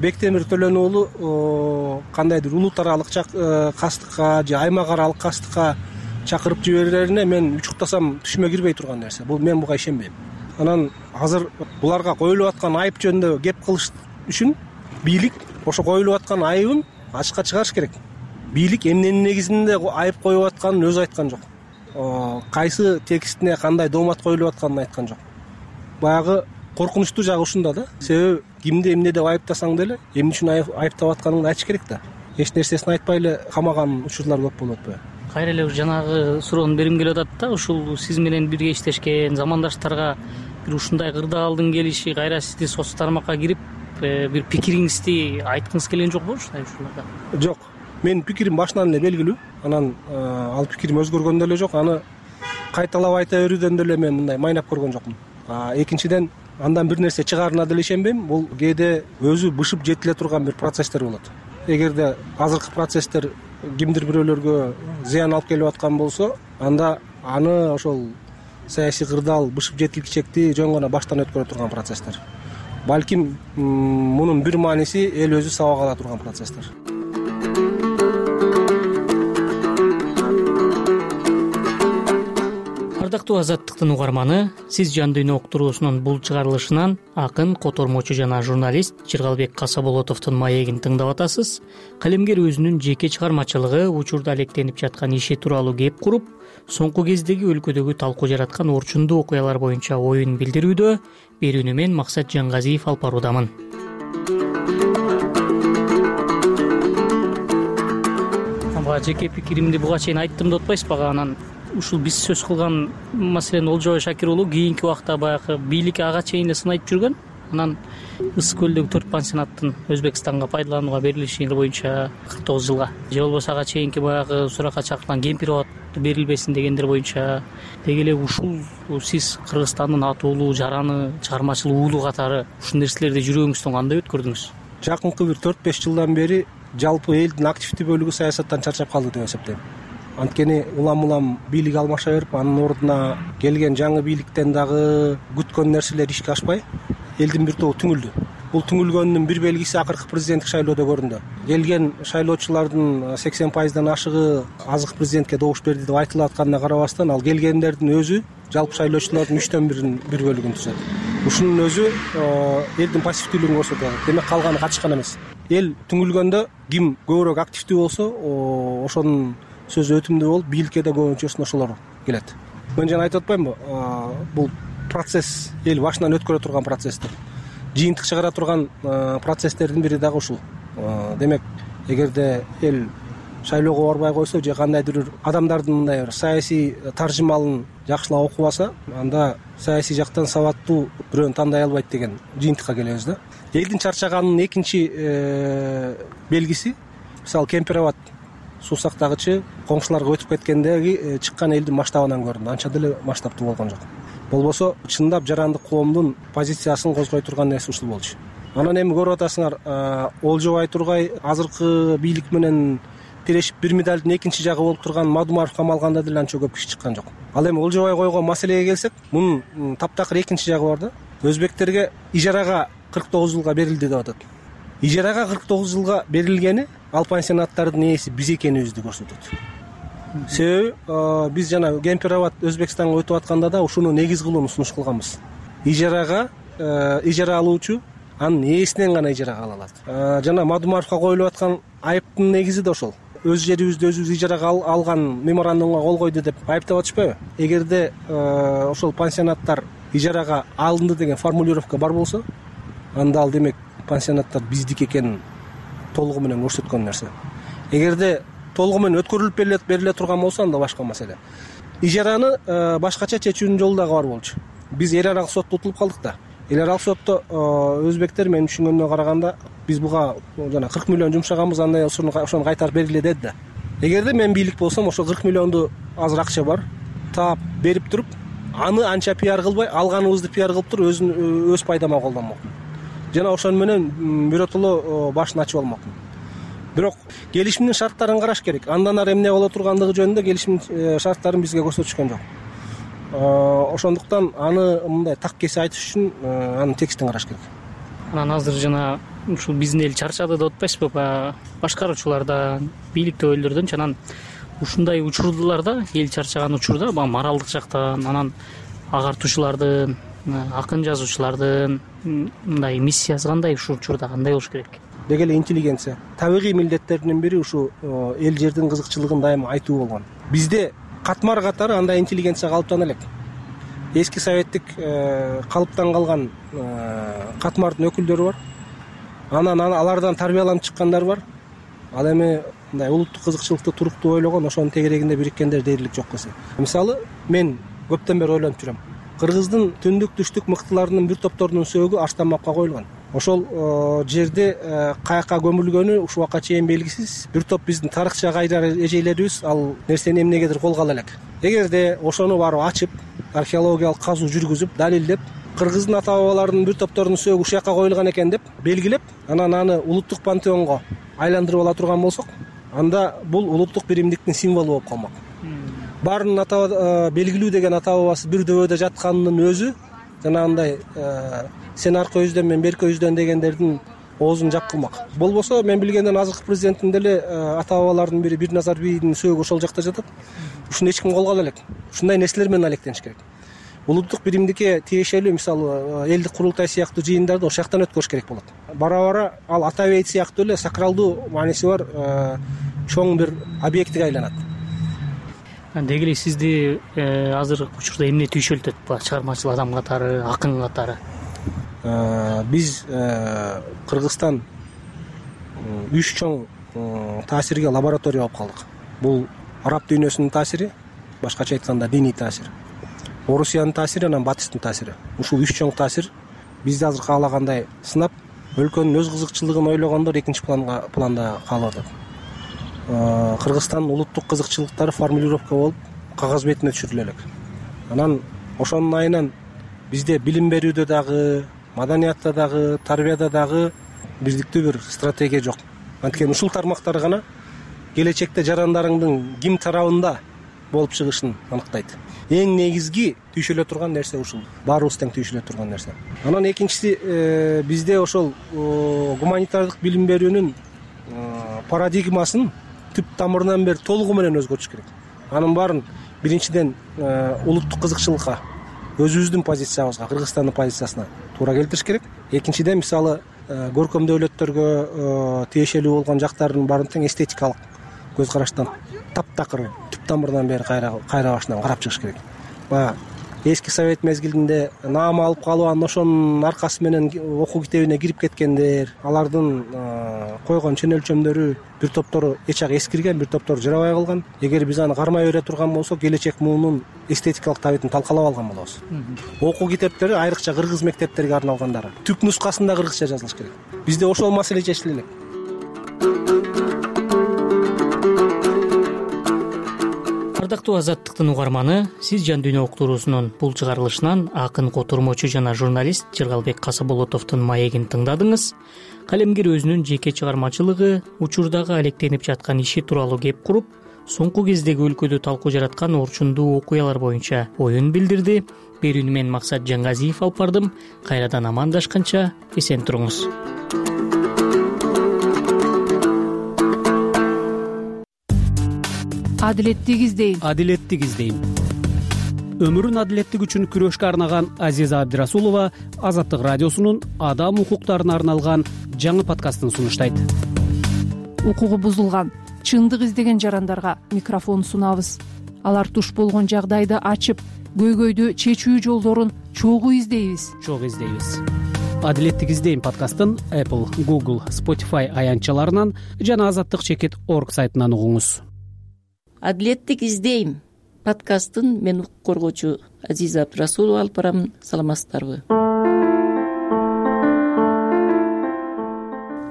[SPEAKER 21] Бектемир Төлөн уулу кандайдыр улут аралык кастыкка же аймак аралык кастыкка чакырып жиберерине мен учуктасам түшүмө кирбей турган нерсе. Бул мен буга ишенбейм. Анан азыр буларга коюлуп аткан айып жөнүндө кеп кылыш үчүн бийлик ошо коюлуп аткан айыбын ачыкка чыгарыш керек. Бийлик эмненин негизинде айып коюп атканын өзү айткан жок. Кайсы текстине кандай доомат коюлуп атканын айткан жок. Баягы коркунучтуу жагы ушунда да. Себеби кимди эмне деп айыптасаң деле, эмне үчүн айыптап атканыңды айтыш керек да. Эч нерсесин айтпай эле камаган учурлар көп болуп атпайбы?
[SPEAKER 20] Кайра эле жанагы суроону берим келип атат да, ушул сиз менен бирге иштешкен замандаштарга бир ушундай кырдаалдын келиши кайра сизди соц тармакка кирип бир пикириңизди айткыңыз келген жокпу ушундай учурларда?
[SPEAKER 21] Жок. Менин пикирим башынан эле белгилүү. Анан ал пикирим өзгөргөн деле жок. Аны кайталап айта берүүдөн деле мен мындай майнап көргөн жокмун. Экинчиден, андан бир нерсе чыгаарына деле ишенбейм. Бул кээде өзү бышып жетиле турган бир процесстер болот. Эгерде азыркы процесстер кимдир бирөөлөргө зыян алып келип аткан болсо, анда аны ошол саясий кырдаал бышып жетилгичекти жөн гана баштан өткөрө турган процесстер. Балким мунун бир мааниси эл өзү сабак ала турган процесстер.
[SPEAKER 20] Ардактуу Азаттыктын угарманы, сиз Жан дүйнө уктуруусунун бул чыгарылышынан акын, котормочу жана журналист Жыргалбек Касаболотовдун маегин тыңдап атасыз. Калемгер өзүнүн жеке чыгармачылыгы, учурда алектенип жаткан иши тууралуу кеп куруп, соңку кездеги өлкөдөгү талкуу жараткан орчундуу окуялар боюнча оюн билдирүүдө. Берүүнү мен Максат Жангазиев алып баруудамын. Бага жеке пикиримди буга чейин айттым деп атпайсызбы? Анан ушул биз сөз кылган маселен Олжобай Шакир уулу кийинки убакта баягы бийлик ага чейин эле сынайып жүргөн. Анан Ысык көлдөгү төрт пансионаттын Өзбекстанга пайдаланууга берилиши боюнча кырк тогуз жылга, же болбосо ага чейинки баягы суракка чакырылган кемпир абад берилбесин дегендер боюнча деги эле ушул сиз Кыргызстандын атуулуу жараны чыгармачыл уулу катары ушул нерселерди жүрөгүңүздөн кандай өткөрдүңүз?
[SPEAKER 21] Жакынкы бир төрт беш жылдан бери жалпы элдин активдүү бөлүгү саясаттан чарчап калды деп эсептейм. Анткени улам-улам бийлик алмаша берип, анын ордуна келген жаңы бийликтен дагы күткөн нерселер ишке ашпай, элдин бир тобу түңүлдү. Бул түңүлгөнүнүн бир белгиси акыркы президенттик шайлоодо көрүндү. Келген шайлоочулардын сексен пайыздан ашыгы азыркы президентке добуш берди деп айтылып атканына карабастан, ал келгендердин өзү жалпы шайлоочулардын үчтөн бирин бир бөлүгүн түзөт. Ушунун өзү элдин пассивдүүлүгүн көрсөтөт. Демек калганы катышкан эмес. Эл түңүлгөндө ким көбүрөөк активдүү болсо, ошонун сөзү өтүмдүү болуп, бийликке да көбүнчөсүн ошолор келет. Мен жана айтып атпаймынбы? Бул процесс эл башынан өткөрө турган процесстер. Жыйынтык чыгара турган процесстердин бири дагы ушул. Демек, эгерде эл шайлоого барбай койсо же кандайдыр бир адамдардын мындай бир саясий таржымалын жакшылап окуп алса, анда саясий жактан сабаттуу бирөөнү тандай албайт деген жыйынтыкка келебиз да. Элдин чарчаганынын экинчи белгиси мисалы Кемпир абад суу сактагычы коңшуларга өтүп кеткендеги чыккан элдин масштабынан көрүндү. Анча деле масштабтуу болгон жок. Болбосо чындап жарандык коомдун позициясын козгой турган нерсе ушул болчу. Анан эми көрүп атасыңар, Олжобай Тургай азыркы бийлик менен тирешип бир медалдын экинчи жагы болуп турган Мадумаров камалганда деле анча көп киши чыккан жок. Ал эми Олжобай койгон маселеге келсек, мунун таптакыр экинчи жагы бар да. Өзбектерге ижарага кырк тогуз жылга берилди деп атат. Ижарага кырк тогуз жылга берилгени ал пансионаттардын ээси биз экенибизди көрсөтөт. Себеби биз жана Кемпир абад Өзбекстанга өтүп атканда да ушуну негиз кылууну сунуш кылганбыз. Ижарага ижара алуучу анын ээсинен гана ижарага ала алат. Жана Мадумаровго коюлуп аткан айыптын негизи да ошол. Өз жерибизди өзүбүз ижарага алган меморандумга кол койду деп айыптап атышпайбы? Эгерде ошол пансионаттар ижарага алынды деген формулировка бар болсо, анда ал демек пансионаттар биздики экенин толугу менен көрсөткөн нерсе. Эгерде толугу менен өткөрүлүп бериле турган болсо, анда башка маселе. Ижараны башкача чечүүнүн жолу дагы бар болчу. Биз эл аралык сотто утулуп калдык да. Эл аралык сотто өзбектер менин түшүнгөнүмө караганда биз буга жана кырк миллион жумшаганбыз, андай ошону кайтарып бергиле деди да. Эгерде мен бийлик болсом, ошо кырк миллионду азыр акча бар, таап берип туруп, аны анча пиар кылбай, алганыбызды пиар кылып туруп, өзүн өз пайдама колдонмокмун. Жана ошону менен биротоло башын ачып алмакмын. Бирок келишимдин шарттарын караш керек. Андан ары эмне боло тургандыгы жөнүндө келишим шарттарын бизге көрсөтүшкөн жок. Ошондуктан аны мындай так кесе айтыш үчүн анын текстин караш керек.
[SPEAKER 20] Анан азыр жана ушул биздин эл чарчады деп атпайсызбы? Башкаруучулардан, бийликтөгүлөрдөн анан ушундай учурларда, эл чарчаган учурда моралдык жактан, анан агартуучулардын, акын жазуучулардын мындай миссиясы кандай, ушул учурда кандай болуш керек?
[SPEAKER 21] Деги эле интеллигенция. Табигый милдеттердин бири ушу эл жердин кызыкчылыгын дайыма айтуу болгон. Бизде катмар катары андай интеллигенция калыптана элек. Эски советтик калыптан калган катмардын өкүлдөрү бар. Анан алардан тарбияланып чыккандар бар. Ал эми мындай улуттук кызыкчылыкты туруктуу ойлогон, ошонун тегерегинде бириккендер дээрлик жок эсе. Мисалы, мен көптөн бери ойлонуп жүрөм. Кыргыздын түндүк түштүк мыктыларынын бир топторунун сөөгү Аштанбапка коюлган. Ошол жерде каяка көмүлгөнү ушул убакка чейин белгисиз. Бир топ биздин тарыхча кайрар эжейлерибиз ал нерсени эмнегедир колго ала элек. Эгерде ошону барып ачып, археологиялык казуу жүргүзүп, далилдеп, кыргыздын ата бабаларынын бир топторунун сөөгү ушул жака коюлган экен деп белгилеп, анан аны улуттук пантеонго айландырып ала турган болсок, анда бул улуттук биримдиктин символу болуп калмак. Баарынын ата белгилүү деген ата бабасы бир дөбөдө жатканынын өзү жанагындай сен аркы өздөн, мен берки өздөн дегендердин оозун жап кылмак. Болбосо мен билгенден азыркы президенттин деле ата бабаларынын бири Бирназар бийдин сөөгү ошол жакта жатат. Ушуну эч ким колго ала элек. Ушундай нерселер менен алектениш керек. Улуттук биримдикке тиешелүү мисалы элдик курултай сыяктуу жыйындарды ошол жактан өткөрүш керек болот. Бара-бара ал ата бейит сыяктуу эле сакралдуу мааниси бар чоң бир объектиге айланат.
[SPEAKER 20] Деги эле сизди азыр учурда эмне түйшөлтөт? Чыгармачыл адам катары, акын катары? Биз
[SPEAKER 21] Кыргызстан үч чоң таасирге лаборатория болуп калдык. Бул араб дүйнөсүнүн таасири, башкача айтканда диний таасир. Орусиянын таасири, анан батыстын таасири. Ушул үч чоң таасир бизди азыр каалагандай сынап, өлкөнүн өз кызыкчылыгын ойлогондор экинчи планга планда калып атат. Кыргызстандын улуттук кызыкчылыктары формулировка болуп, кагаз бетине түшүрүлө элек. Анан ошонун айынан бизде билим берүүдө дагы, маданиятта дагы, тарбияда дагы бирдиктүү бир стратегия жок. Анткени ушул тармактар гана келечекте жарандарыңдын ким тарабында болуп чыгышын аныктайт. Эң негизги түйшөлө турган нерсе ушул. Баарыбыз тең түйшөлө турган нерсе. Анан экинчиси, бизде ошол гуманитардык билим берүүнүн парадигмасын түп тамырынан бери толугу менен өзгөртүш керек. Анын баарын биринчиден улуттук кызыкчылыкка, өзүбүздүн позициябызга, Кыргызстандын позициясына туура келтириш керек. Экинчиден мисалы көркөм дөөлөттөргө тиешелүү болгон жактардын баарын тең эстетикалык көз караштан таптакыр түп тамырынан бери кайра кайра башынан карап чыгыш керек. Баягы эски совет мезгилинде наам алып калып анан ошонун аркасы менен окуу китебине кирип кеткендер, алардын койгон чен өлчөмдөрү бир топтору эч жак эскирген, бир топтору жарабай калган. Эгер биз аны кармай бере турган болсок, келечек муунун эстетикалык табитин талкалап алган болобуз. Окуу китептери айрыкча кыргыз мектептерине арналгандары түп нускасында кыргызча жазылыш керек. Бизде ошол маселе чечиле элек.
[SPEAKER 20] Ардактуу Азаттыктын угарманы, сиз Жан дүйнө уктуруусунун бул чыгарылышынан акын, котормочу жана журналист Жыргалбек Касыболотовдун маегин тыңдадыңыз. Калемгер өзүнүн жеке чыгармачылыгы, учурдагы алектенип жаткан иши тууралуу кеп куруп, соңку кездеги өлкөдө талкуу жараткан орчундуу окуялар боюнча оюн билдирди. Берүүнү мен Максат Жаңгазиев алып бардым. Кайрадан амандашканча эсен туруңуз.
[SPEAKER 1] Адилеттик издейм.
[SPEAKER 2] Адилеттик издейм. Өмүрүн адилеттик үчүн күрөшкө арнаган Азиза Абдирасулова Азаттык радиосунун адам укуктарына арналган жаңы подкастын сунуштайт.
[SPEAKER 1] Укугу бузулган, чындык издеген жарандарга микрофон сунабыз. Алар туш болгон жагдайды ачып, көйгөйдү чечүү жолдорун чогуу издейбиз.
[SPEAKER 2] Чогуу издейбиз. Адилеттик издейм подкастын Apple, Google, Spotify аянтчаларынан жана азаттык чекит точка орг сайтынан угуңуз.
[SPEAKER 22] Адилеттик издейм подкастын мен укук коргоочу Азиза Абдирасулова алып барамын. Саламатсыздарбы?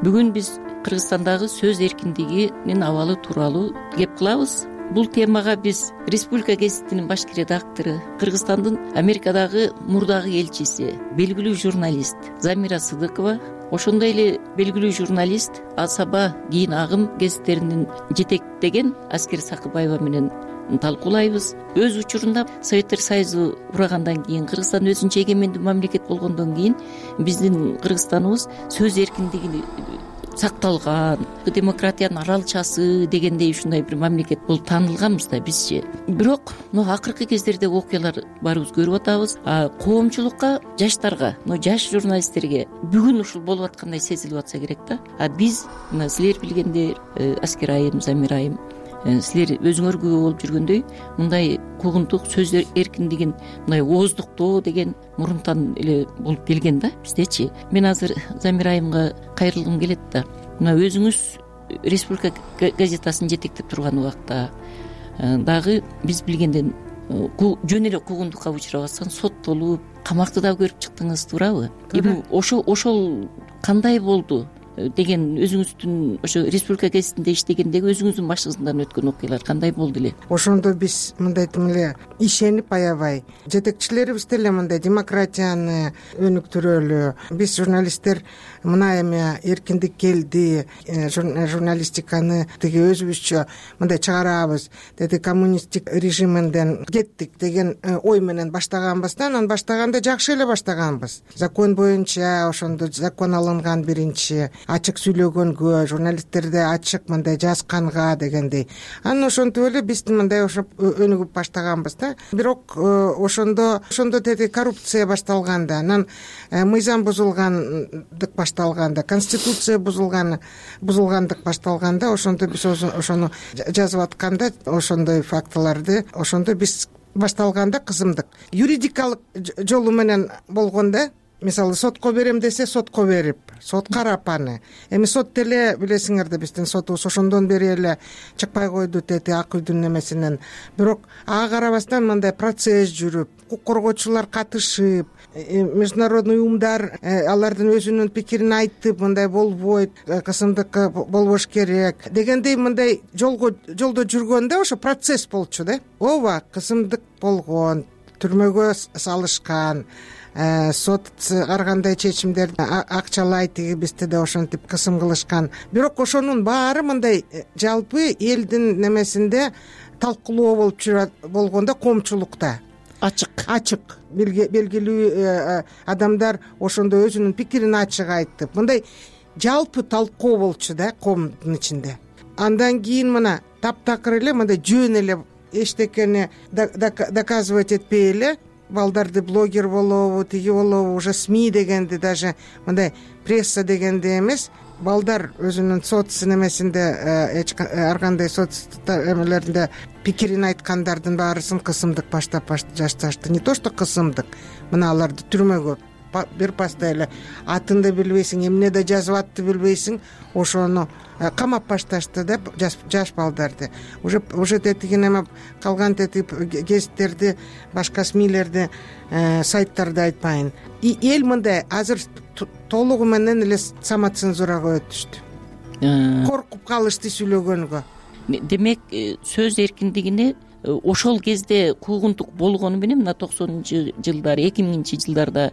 [SPEAKER 22] Бүгүн биз Кыргызстандагы сөз эркиндигинин абалы тууралуу кеп кылабыз. Бул темага биз Республика гезитинин башкы редактору, Кыргызстандын Америкадагы мурдагы элчиси, белгилүү журналист Замира Сыдыкова, ошондой эле белгилүү журналист Асаба кийин Агым гезиттеринин жетектеген Аскер Сакыбаева менен талкуулайбыз. Өз учурунда Советтер Союзу урагандан кийин, Кыргызстан өзүнчө эгемендүү мамлекет болгондон кийин биздин Кыргызстаныбыз сөз эркиндиги сакталган, демократиянын аралчасы дегендей ушундай бир мамлекет болуп таанылганбыз да бизчи. Бирок мына акыркы кездерде окуялар барыбыз көрүп атабыз. Коомчулукка, жаштарга, мына жаш журналисттерге бүгүн ушул болуп аткандай сезилип атса керек да. А биз мына силер билгендей, Аскер айым, Замир айым, силер өзүңөр күбө болуп жүргөндөй мындай куугунтук сөз эркиндигин мындай ооздуктоо деген мурунтан эле болуп келген да биздечи. Мен азыр Замир айымга кайрылгым келет да. Мына өзүңүз Республика газетасын жетектеп турган убакта дагы биз билгенден жөн эле куугунтукка учурабастан соттолуп, камакты да көрүп чыктыңыз, туурабы? Эми ошол ошол кандай болду деген өзүңүздүн ошо Республика гезитинде иштегендеги өзүңүздүн башыңыздан өткөн окуялар кандай болду эле?
[SPEAKER 23] Ошондо биз мындай тим эле ишенип аябай жетекчилерибиз деле мындай демократияны өнүктүрөлү. Биз журналисттер мына эми эркиндик келди, журналистиканы тиги өзүбүзчө мындай чыгарабыз, деди коммунисттик режиминден кеттик деген ой менен баштаганбыз да. Анан баштаганда жакшы эле баштаганбыз. Закон боюнча ошондо закон алынган биринчи, ачык сүйлөгөнгө, журналисттерди ачык мындай жазганга дегендей. Анан ошентип эле биз мындай ошо өнүгүп баштаганбыз да. Бирок ошондо ошондо деди коррупция башталганда, анан мыйзам бузулгандык башталганда, конституция бузулган бузулгандык башталганда, ошондо биз ошону жазып атканда, ошондой фактыларды ошондо биз башталганда кызымдык. Юридикалык жолу менен болгондо, мисалы сотко берем десе сотко берип, сот карап аны. Эми сот деле билесиңер да биздин сотубуз ошондон бери эле чыкпай койду деди ак үйдүн немесинен. Бирок ага карабастан мындай процесс жүрүп, укук коргоочулар катышып, международный уюмдар алардын өзүнүн пикирин айтып, мындай болбойт, кысымдык болбош керек дегендей мындай жолго жолдо жүргөндө ошо процесс болчу да. Ооба, кысымдык болгон, түрмөгө салышкан, сот ар кандай чечимдерди акчалай, тиги бизде да ошентип кысым кылышкан. Бирок ошонун баары мындай жалпы элдин немесинде талкуулоо болуп жүрөт болгондо, коомчулукта ачык ачык белгилүү адамдар ошондо өзүнүн пикирин ачык айтып, мындай жалпы талкуу болчу да коомдун ичинде. Андан кийин мына таптакыр эле мындай жөн эле эчтекени доказывать этпей эле балдарды блогер болобу, тиги болобу, уже СМИ дегенди, даже мындай пресса дегенди эмес, балдар өзүнүн соц немесинде эч ар кандай соц эмелеринде пикирин айткандардын баарысын кысымдык баштап жашташты. Не то что кысымдык, мына аларды түрмөгө бир пастай эле атын да билбейсиң, эмнеде жазып атты билбейсиң, ошону камап башташты деп жаш балдарды. Уже уже тетиги неме калган тетип гезиттерди, башка смилерди, сайттарды айтпайын. И эл мындай азыр толугу менен эле самоцензурага өтүштү. Коркуп калышты сүйлөгөнгө.
[SPEAKER 22] Демек, сөз эркиндигине ошол кезде куугунтук болгону менен мына токсонунчу жылдары, эки миңинчи жылдарда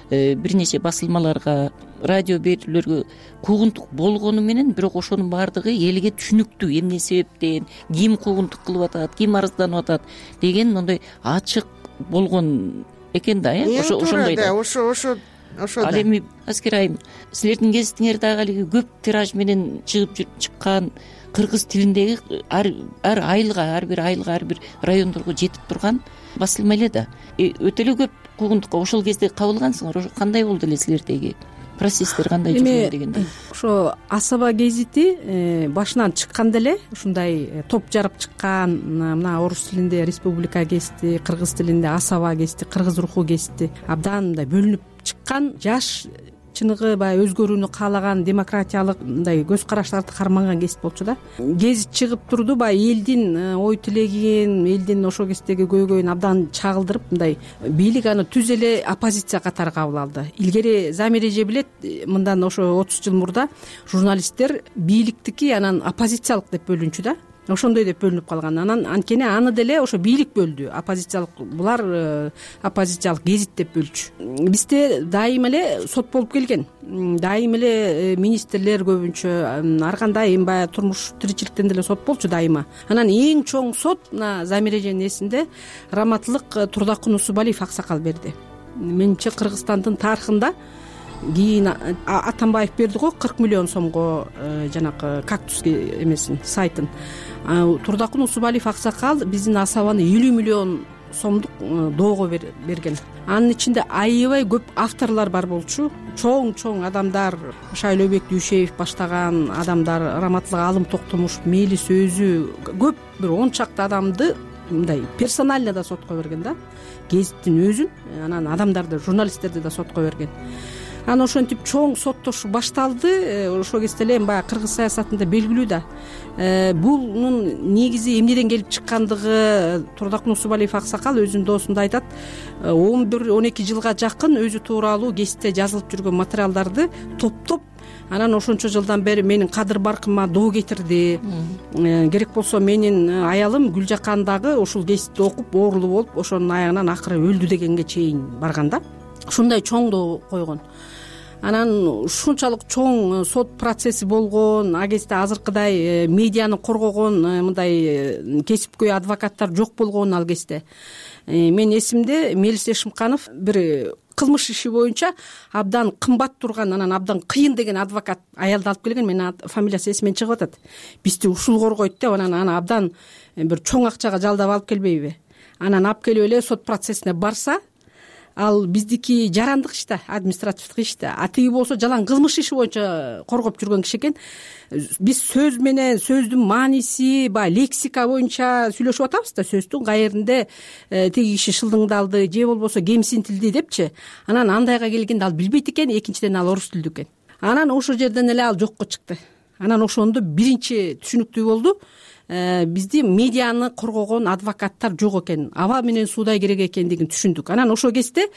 [SPEAKER 22] бир нече басылмаларга, радио берүүлөргө куугунтук болгону менен, бирок ошонун баардыгы элге түшүнүктүү, эмне себептен, ким куугунтук кылып атат, ким арызданып атат деген моундай ачык болгон экен да, э ошондой да.
[SPEAKER 23] Ошо ошо ошо.
[SPEAKER 22] Ал эми Аскер айым, силердин гезитиңер дагы алиги көп тираж менен чыгып чыккан, кыргыз тилиндеги ар айылга, ар бир айылга, ар бир райондорго жетип турган басылма эле да. Өтө эле көп куугунтукка ошол кезде кабылгансыңар. Ошо кандай болду эле силердеги процесстер, кандай жүргөн дегендей?
[SPEAKER 3] Ошо Асаба гезити башынан чыкканда эле ушундай топ жарып чыккан, мына орус тилинде Республика гезити, кыргыз тилинде Асаба гезити, кыргыз руху гезити абдан мындай бөлүнүп чыккан, жаш чыныгы баягы өзгөрүүнү каалаган, демократиялык мындай көз караштарды карманган гезит болчу да. Гезит чыгып турду, баягы элдин ой тилегин, элдин ошол кездеги көйгөйүн абдан чагылдырып, мындай бийлик аны түз эле оппозиция катары кабыл алды. Илгери Замиреже билет, мындан ошо отуз жыл мурда журналисттер бийликтики анан оппозициялык деп бөлүнчү да. Ошондой деп бөлүнүп калган. Анан анткени аны деле ошо бийлик бөлдү. Оппозициялык, булар оппозициялык гезит деп бөлчү. Бизде дайыма эле сот болуп келген. Дайыма эле министрлер көбүнчө ар кандай эми баягы турмуш тиричиликтен деле сот болчу дайыма. Анан эң чоң сот мына Замиреженин эсинде Раматлык Турдакун Усубалиев аксакал берди. Менимче Кыргызстандын тарыхында кийин Атамбаев берди го кырк миллион сомго жанагы кактус эмесин, сайтын. Турдакун Усубалиев аксакал биздин Асабаны элүү миллион сомдук доого берген. Анын ичинде аябай көп авторлор бар болчу. Чоң-чоң адамдар, Шайлообек Дүйшеев баштаган адамдар, Раматлык Алым Токтомушев, Мелис өзү, көп бир он чакты адамды мындай персонально да сотко берген да. Гезиттин өзүн, анан адамдарды, журналисттерди да сотко берген. Анан ошентип чоң соттошуу башталды. Ошол кезде эле баягы кыргыз саясатында белгилүү да. Бунун негизи эмнеден келип чыккандыгы Турдакун Усубалиев аксакал өзүнүн доосунда айтат. он бир он эки жылга жакын өзү тууралуу гезитте жазылып жүргөн материалдарды топтоп, анан ошончо жылдан бери менин кадыр баркыма доо кетирди. Керек болсо менин аялым Гүлжакан дагы ушул гезитти окуп оорулуу болуп, ошонун аягынан акыры өлдү дегенге чейин барган да. Ушундай чоң доо койгон. Анан ушунчалык чоң сот процесси болгон, а кезде азыркыдай медианы коргогон мындай кесипкөй адвокаттар жок болгон ал кезде. Мен эсимде Мелис Эшимканов бир кылмыш иши боюнча абдан кымбат турган, анан абдан кыйын деген адвокат аялды алып келген. Менин фамилиясы эсимден чыгып атат. Бизди ушул коргойт деп, анан аны абдан бир чоң акчага жалдап алып келбейби? Анан алып келип эле сот процессине барса, ал биздики жарандык иш да, административдик иш да. А тиги болсо жалаң кылмыш иши боюнча коргоп жүргөн киши экен. Биз сөз менен, сөздүн мааниси, баягы лексика боюнча сүйлөшүп атабыз да, сөздүн каеринде тиги киши шылдыңдалды же болбосо кемсинтилди депчи. Анан андайга келгенде ал билбейт экен, экинчиден ал орус тилдүү экен. Анан ошол жерден эле ал жокко чыкты. Анан ошондо биринчи түшүнүктүү болду. Бизди медианы коргогон адвокаттар жок экен, аба менен суудай керек экендигин түшүндүк. Анан ошол кезде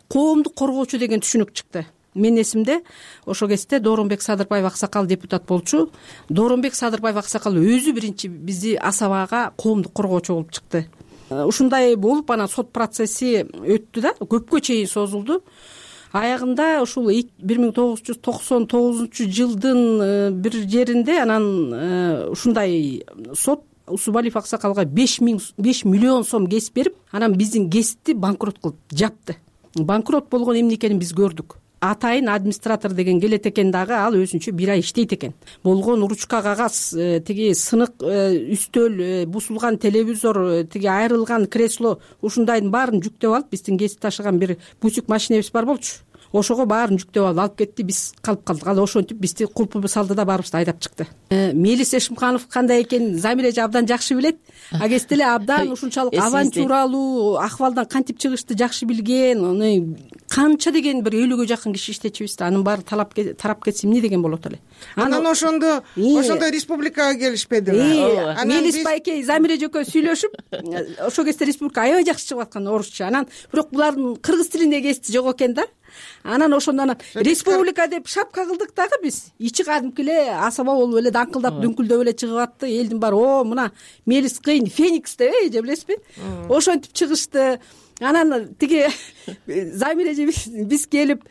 [SPEAKER 3] коомду коргоочу деген түшүнүк чыкты. Менин эсимде ошол кезде Дооронбек Садырбаев аксакал депутат болчу. Дооронбек Садырбаев аксакал өзү биринчи бизди Асабага коомду коргоочу болуп чыкты. Ушундай болуп анан сот процесси өттү да, көпкө чейин созулду. Аягында ушул бир миң тогуз жүз токсон тогузунчу жылдын бир жеринде анан ушундай сот Усубалиев аксакалга беш миллион сом кесип берип, анан биздин гезитти банкрот кылып жапты. Банкрот болгон эмне экенин биз көрдүк. Атайын администратор деген келет экен дагы, ал өзүнчө бир ай иштейт экен. Болгон ручка кагаз, тиги сынык үстөл, бусулган телевизор, тиги айрылган кресло, ушундайдын баарын жүктөп алып биздин гезит ташыган бир бусик машинебиз бар болчу. ошого баарын жүктөп алып алып кетти, биз калып калдык. Ал ошентип бизди кулпу салды да баарыбызды айдап чыкты. Мелис Эшимканов кандай экенин Замир эже абдан жакшы билет. А кезде эле абдан ушунчалык авантюралуу акыбалдан кантип чыгышты жакшы билген, канча деген бир элүүгө жакын киши иштечүбүз да, анын баары тарап кетсе эмне деген болот эле.
[SPEAKER 23] Анан ошондо ошондо республикага келишпедиби?
[SPEAKER 3] Мелис байке Замир эже экөө сүйлөшүп, ошол кезде республика аябай жакшы чыгып аткан орусча. Анан бирок булардын кыргыз тилинде кести жок экен да. Анан ошондон республика деп шапка кылдык дагы биз. Ичи кадимки эле асаба болуп эле даңкылдап дүңкүлдөп эле чыгып атты. Элдин баары о мына Мелис кыйын Феникс деп эже билесизби? Ошентип чыгышты. Анан тиги Замир эже биз келип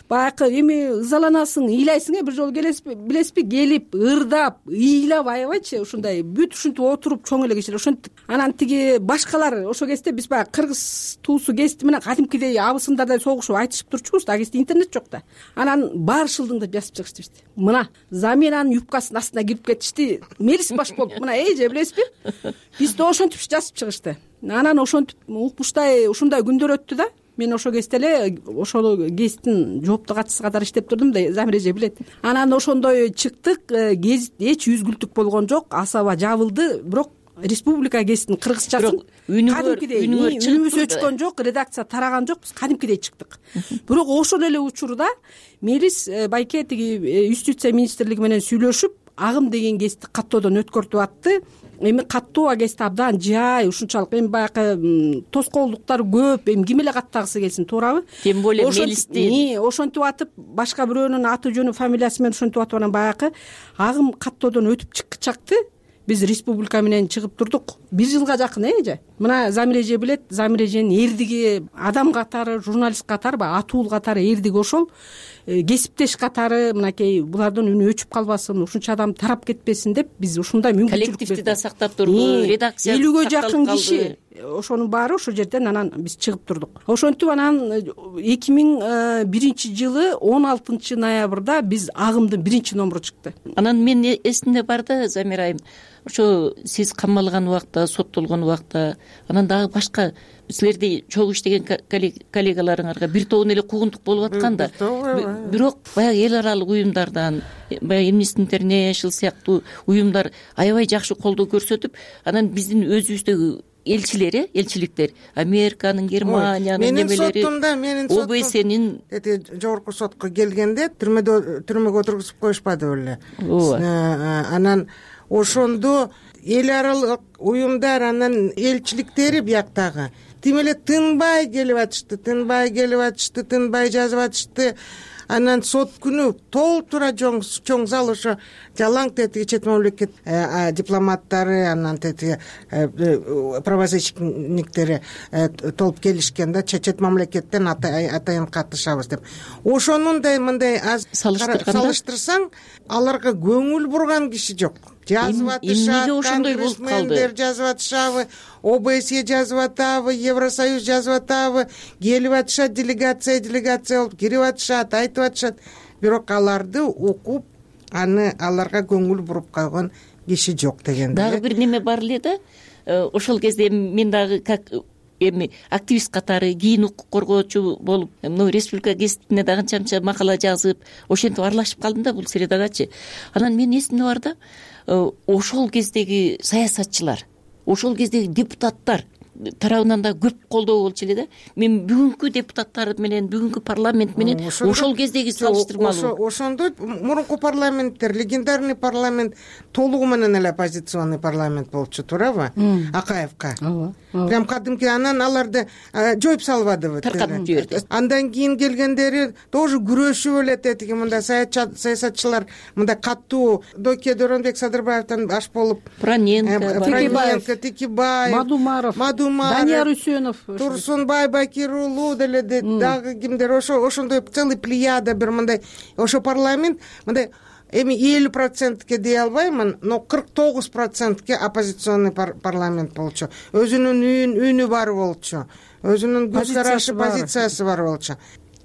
[SPEAKER 3] баягы эми ызаланасың, ыйлайсың э бир жолу келесизби, билесизби? Келип ырдап, ыйлап аябайчы ушундай бүт ушинтип отуруп чоң эле кишилер ошентип. Анан тиги башкалар ошол кезде биз баягы кыргыз туусу кести менен кадимкидей абысындардай согушуп айтышып турчубуз. А кезде интернет жок да. Анан баары шылдыңдап жазып чыгышты бизди. Мына Замиранын юбкасынын астына кирип кетишти. Мелис баш болуп мына эже билесизби? Бизди ошентип жазып чыгышты. Анан ошентип укмуштай ушундай күндөр өттү да. Мен ошол кезде эле ошол гезиттин жооптуу катчысы катары иштеп турдум да, Замир эже билет. Анан ошондой чыктык, гезит эч үзгүлтүк болгон жок, асаба жабылды, бирок республика гезитин кыргызчасын кадимкидей үнүбүз өчкөн жок, редакция тараган жок, биз кадимкидей чыктык. Бирок ошол эле учурда Мелис байке тиги юстиция министрлиги менен сүйлөшүп, агым деген гезитти каттоодон өткөртүп атты. Эми каттоо агести абдан жай, ушунчалык эми баягы тоскоолдуктар көп, эми ким эле каттагысы келсин, туурабы?
[SPEAKER 22] Тем более Мелисти
[SPEAKER 3] ошентип атып, башка бирөөнүн аты жөнү, фамилиясы менен ошентип атып анан баягы агым каттоодон өтүп чыкчакты. Биз республика менен чыгып турдук. Бир жылга жакын эже. Мына Замир эже билет, Замир эженин эрдиги адам катары, журналист катары, баягы атуул катары эрдиги ошол. Кесиптеш катары мынакей булардын үнү өчүп калбасын, ушунча адам тарап кетпесин деп биз ушундай мүмкүнчүлүк
[SPEAKER 22] коллективди да сактап турду, редакция
[SPEAKER 3] элүүгө жакын киши. Ошонун баары ошол жерден анан биз чыгып турдук. Ошентип анан эки миң биринчи жылы он алтынчы ноябрда биз агымдын биринчи номуру чыкты.
[SPEAKER 22] Анан мен эсимде бар да, Замир айым, ошо сиз камалган убакта, соттолгон убакта, анан дагы башка силерди чогуу иштеген коллегаларыңарга бир тобун эле куугунтук болуп аткан да. Бирок баягы эл аралык уюмдардан, баягы Amnesty International сыяктуу уюмдар аябай жакшы колдоо көрсөтүп, анан биздин өзүбүздөгү элчилери, элчиликтер, Американын, Германиянын немелери, О Б С'нин
[SPEAKER 23] жогорку сотко келгенде түрмөдө түрмөгө отургузуп коюшпады беле. Анан ошондо эл аралык уюмдар, анан элчиликтери бияктагы тим эле тынбай келип атышты, тынбай келип атышты, тынбай жазып атышты. Анан сот күнү толтура чоң зал ошо жалаң тетиги чет мамлекет дипломаттары, анан тетиги правозащитниктери толуп келишкен да, чет мамлекеттен атайын катышабыз деп. Ошонундай мындай аз салыштырсаң, аларга көңүл бурган киши жок. Жазып атышат, конгрессмендер жазып атышабы, О Б С жазып атабы, Евросоюз жазып атабы, келип атышат, делегация делегация болуп кирип атышат, айтып атышат. Бирок аларды окуп, аны аларга көңүл буруп калган киши жок дегенде.
[SPEAKER 22] Дагы бир неме бар эле да. Ошол кезде мен дагы как эми активист катары, кийин укук коргоочу болуп, мына республика гезитине дагы канча макала жазып, ошентип аралашып калдым да бул средагачы. Анан мен эсимде бар да, ошол кездеги саясатчылар, ошол кездеги депутаттар тарабынан да көп колдоо болчу эле да. Мен бүгүнкү депутаттар менен, бүгүнкү парламент менен ошол кездеги салыштырмалуу.
[SPEAKER 23] Ошондо мурунку парламенттер, легендарный парламент толугу менен эле оппозиционный парламент болчу, туурабы? Акаевка. Прям кадимки, анан аларды жоюп салбадыбы?
[SPEAKER 22] Таркатып жиберди.
[SPEAKER 23] Андан кийин келгендери тоже күрөшүп эле тетиги мындай саясатчылар, мындай каттуу Доке Доронбек Садырбаевден баш болуп,
[SPEAKER 22] Проненко,
[SPEAKER 23] Текебаев,
[SPEAKER 3] Мадумаров, Данияр Үсөнов,
[SPEAKER 23] Турсунбай Бакирулу деле дагы кимдер, ошо ошондой целый плеяда бир мындай ошо парламент мындай эми элүү процентке дей албаймын, но кырк тогуз процентке оппозиционный парламент болчу. Өзүнүн үнү бар болчу. Өзүнүн көз карашы, позициясы бар болчу.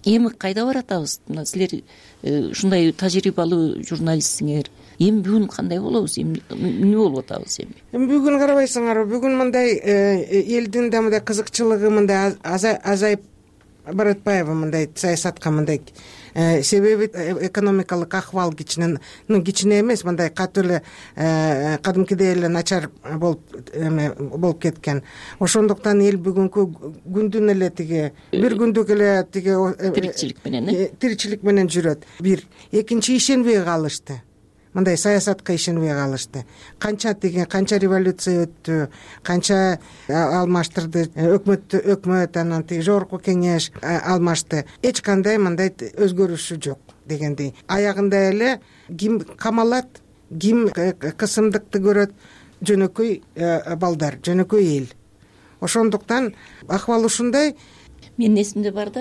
[SPEAKER 22] Эми кайда баратабыз? Мына силер ушундай тажрыйбалуу журналистсиңер. Эми бүгүн кандай болобуз? Эмне болуп атабыз эми?
[SPEAKER 23] Эми бүгүн карабайсыңарбы? Бүгүн мындай элдин да мындай кызыкчылыгы мындай азайып Баратбаева мындай саясатка мындай себеби экономикалык акыбал кичине ну кичине эмес мындай катуу эле кадимкидей эле начар болуп эме болуп кеткен. Ошондуктан эл бүгүнкү күндүн эле тиги бир күндүк эле тиги
[SPEAKER 22] тиричилик менен э
[SPEAKER 23] тиричилик менен жүрөт. Бир экинчи ишенбей калышты. Мындай саясатка ишенбей калышты. Канча тиги канча революция өттү, канча алмаштырды өкмөт өкмөт анан тиги жогорку кеңеш алмашты. Эч кандай мындай өзгөрүшү жок дегендей. Аягында эле ким камалат, ким кысымдыкты көрөт, жөнөкөй балдар, жөнөкөй эл. Ошондуктан акыбал ушундай.
[SPEAKER 22] Менин эсимде бар да,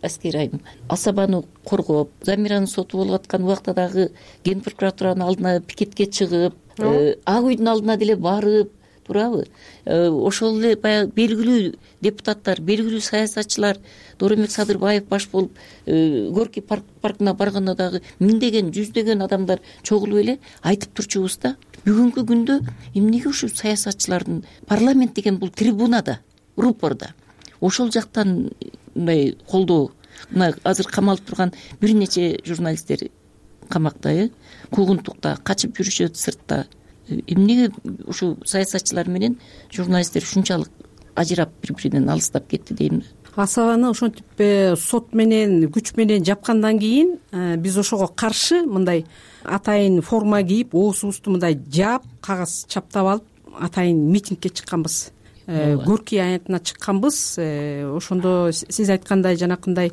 [SPEAKER 22] Аскер айым, Асабаны коргоп, Замираны соту болуп аткан убакта дагы Ген прокуратуранын алдына пикетке чыгып, Ак үйдүн алдына деле барып, туурабы? Ошол эле баягы белгилүү депутаттар, белгилүү саясатчылар, Дооронбек Садырбаев баш болуп, Горький паркына барганда дагы миңдеген, жүздөгөн адамдар чогулуп эле айтып турчубуз да. Бүгүнкү күндө эмнеге ушул саясатчылардын парламент деген бул трибунада, рупорда ошол жактан мындай колдоо, мына азыр камалып турган бир нече журналисттер камакта, э куугунтукта качып жүрүшөт сыртта. Эмнеге ушул саясатчылар менен журналисттер ушунчалык ажырап бири-биринен алыстап кетти дейм.
[SPEAKER 3] Асабаны ошентип сот менен күч менен жапкандан кийин биз ошого каршы мындай атайын форма кийип, оозубузду мындай жаап, кагаз чаптап алып, атайын митингге чыкканбыз. Горький аянтына чыкканбыз. Ошондо сиз айткандай жанакындай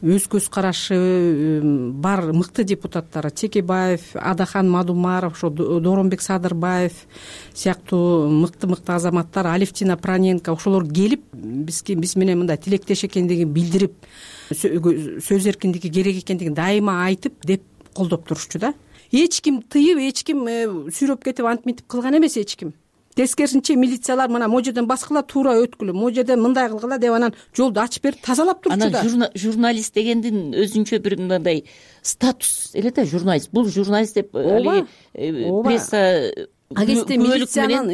[SPEAKER 3] өз көз карашы бар мыкты депутаттар, Текебаев, Адахан Мадумаров, ошо Дооронбек Садырбаев сыяктуу мыкты-мыкты азаматтар, Алевтина Проненко ошолор келип бизге биз менен мындай тилектеш экендигин билдирип, сөз эркиндиги керек экендигин дайыма айтып деп колдоп турушчу да. Эч ким тыйып, эч ким сүйрөп кетип антип мынтип кылган эмес эч ким. Тескерисинче милициялар мына могу жерден баскыла, туура өткүлө, могу жерден мындай кылгыла деп анан жолду ачып берип тазалап турчу да.
[SPEAKER 22] Анан журналист дегендин өзүнчө бир мындай статус эле да, журналист. Бул журналист деп алиги пресса
[SPEAKER 3] агентте милициянын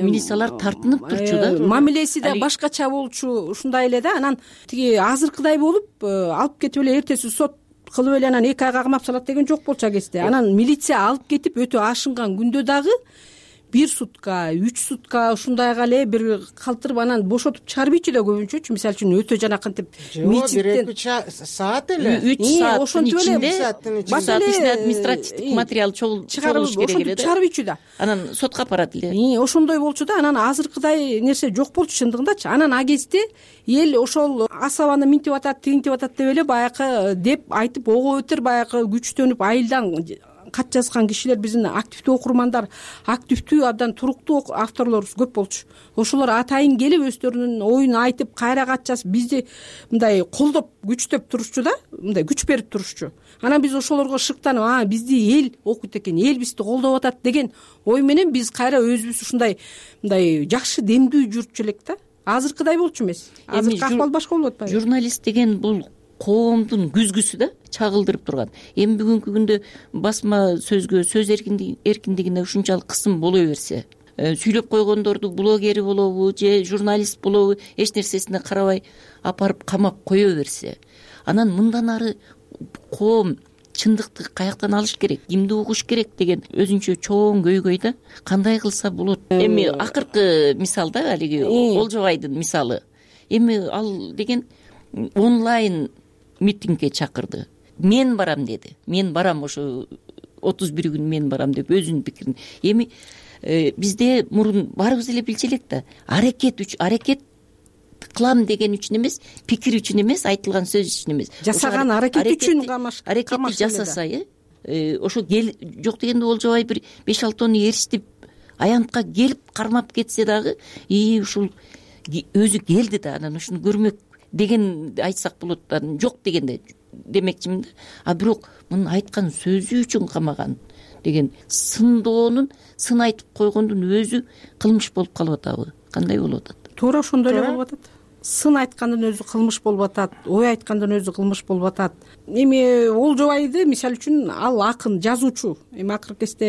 [SPEAKER 22] милициялар тартынып турчу да.
[SPEAKER 3] Мамилеси да башкача болчу, ушундай эле да. Анан тиги азыркыдай болуп алып кетип эле эртеси сот кылып эле анан эки айга камап салат деген жок болчу агентте. Анан милиция алып кетип өтө ашынган күндө дагы бир сутка, үч сутка ушундайга эле бир калтырып анан бошотуп чыгарбыйчу да көбүнчөчү. Мисалы үчүн өтө жанакынтип
[SPEAKER 23] митингден бир саат эле,
[SPEAKER 22] үч сааттын ичинде башка административдик материал чыгарылыш керек эле да.
[SPEAKER 3] Чыгарбыйчу да.
[SPEAKER 22] Анан сотко апарат эле.
[SPEAKER 3] Ошондой болчу да. Анан азыркыдай нерсе жок болчу чындыгындачы. Анан агентте эл ошол Асабаны минтип атат, тигинтип атат деп эле баягы деп айтып ого өтөр баягы күчтөнүп айылдан кат жазган кишилер, биздин активдүү окурмандар, активдүү абдан туруктуу авторлорубуз көп болчу. Ошолор атайын келип өздөрүнүн оюн айтып, кайра кат жазып, бизди мындай колдоп, күчтөп турушчу да, мындай күч берип турушчу. Анан биз ошолорго шыктанып, а бизди эл окуйт экен, эл бизди колдоп атат деген ой менен биз кайра өзүбүз ушундай мындай жакшы демдүү жүрчү элек да. Азыркыдай болчу эмес. Азыркы акыбал башка болуп атпайбы?
[SPEAKER 22] Журналист деген бул коомдун күзгүсү да, чагылдырып турган. Эми бүгүнкү күндө басма сөзгө, сөз эркиндигине ушунчалык кысым боло берсе, сүйлөп койгондорду блогери болобу же журналист болобу эч нерсесине карабай апарып камап кое берсе, анан мындан ары коом чындыкты каяктан алыш керек, кимди угуш керек деген өзүнчө чоң көйгөй да. Кандай кылса болот? Эми акыркы мисал да, алиги Олжобайдын мисалы. Эми ал деген онлайн митингге чакырды. Мен барам деди. Мен барам, ошо отуз бир күн мен барам деп өзүнүн пикирин. Эми бизде мурун баарыбыз эле билчү элек да. Аракет үчүн, аракет кылам деген үчүн эмес, пикир үчүн эмес, айтылган сөз үчүн эмес.
[SPEAKER 3] Жасаган аракет үчүн
[SPEAKER 22] аракетти жасаса, э ошо жок дегенде Олжобай бир беш алты оны эричтип аянтка келип кармап кетсе дагы, и ушул өзү келди да, анан ушуну көрмөк деген айтсак болот. Жок дегенде демекчимин да. А бирок мунун айткан сөзү үчүн камаган деген сындоонун, сын айтып койгондун өзү кылмыш болуп калып атабы? Кандай болуп атат?
[SPEAKER 3] Туура ошондой эле болуп атат. сын айткандын өзү кылмыш болуп атат, ой айткандын өзү кылмыш болуп атат. Эми Олжобайды мисалы үчүн ал акын, жазуучу, эми акыркы кезде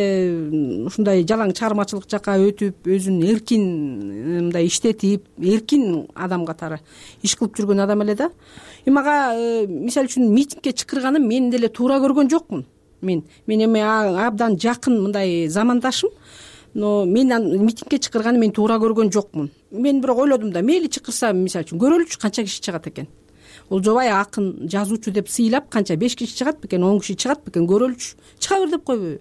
[SPEAKER 3] ушундай жалаң чыгармачылык жака өтүп, өзүн эркин мындай иштетип, эркин адам катары иш кылып жүргөн адам эле да. Эми ага мисалы үчүн митингге чакырганым мен деле туура көргөн жокмун. Мен мен эми абдан жакын мындай замандашым, но мен митингге чакырганы мен туура көргөн жокмун. Мен бирок ойлодум да, мейли чакырса, мисалы үчүн көрөлүчү канча киши чыгат экен. Олжобай акын, жазуучу деп сыйлап канча беш киши чыгат бекен, он киши чыгат бекен, көрөлүчү. Чыга бер деп койбойбу?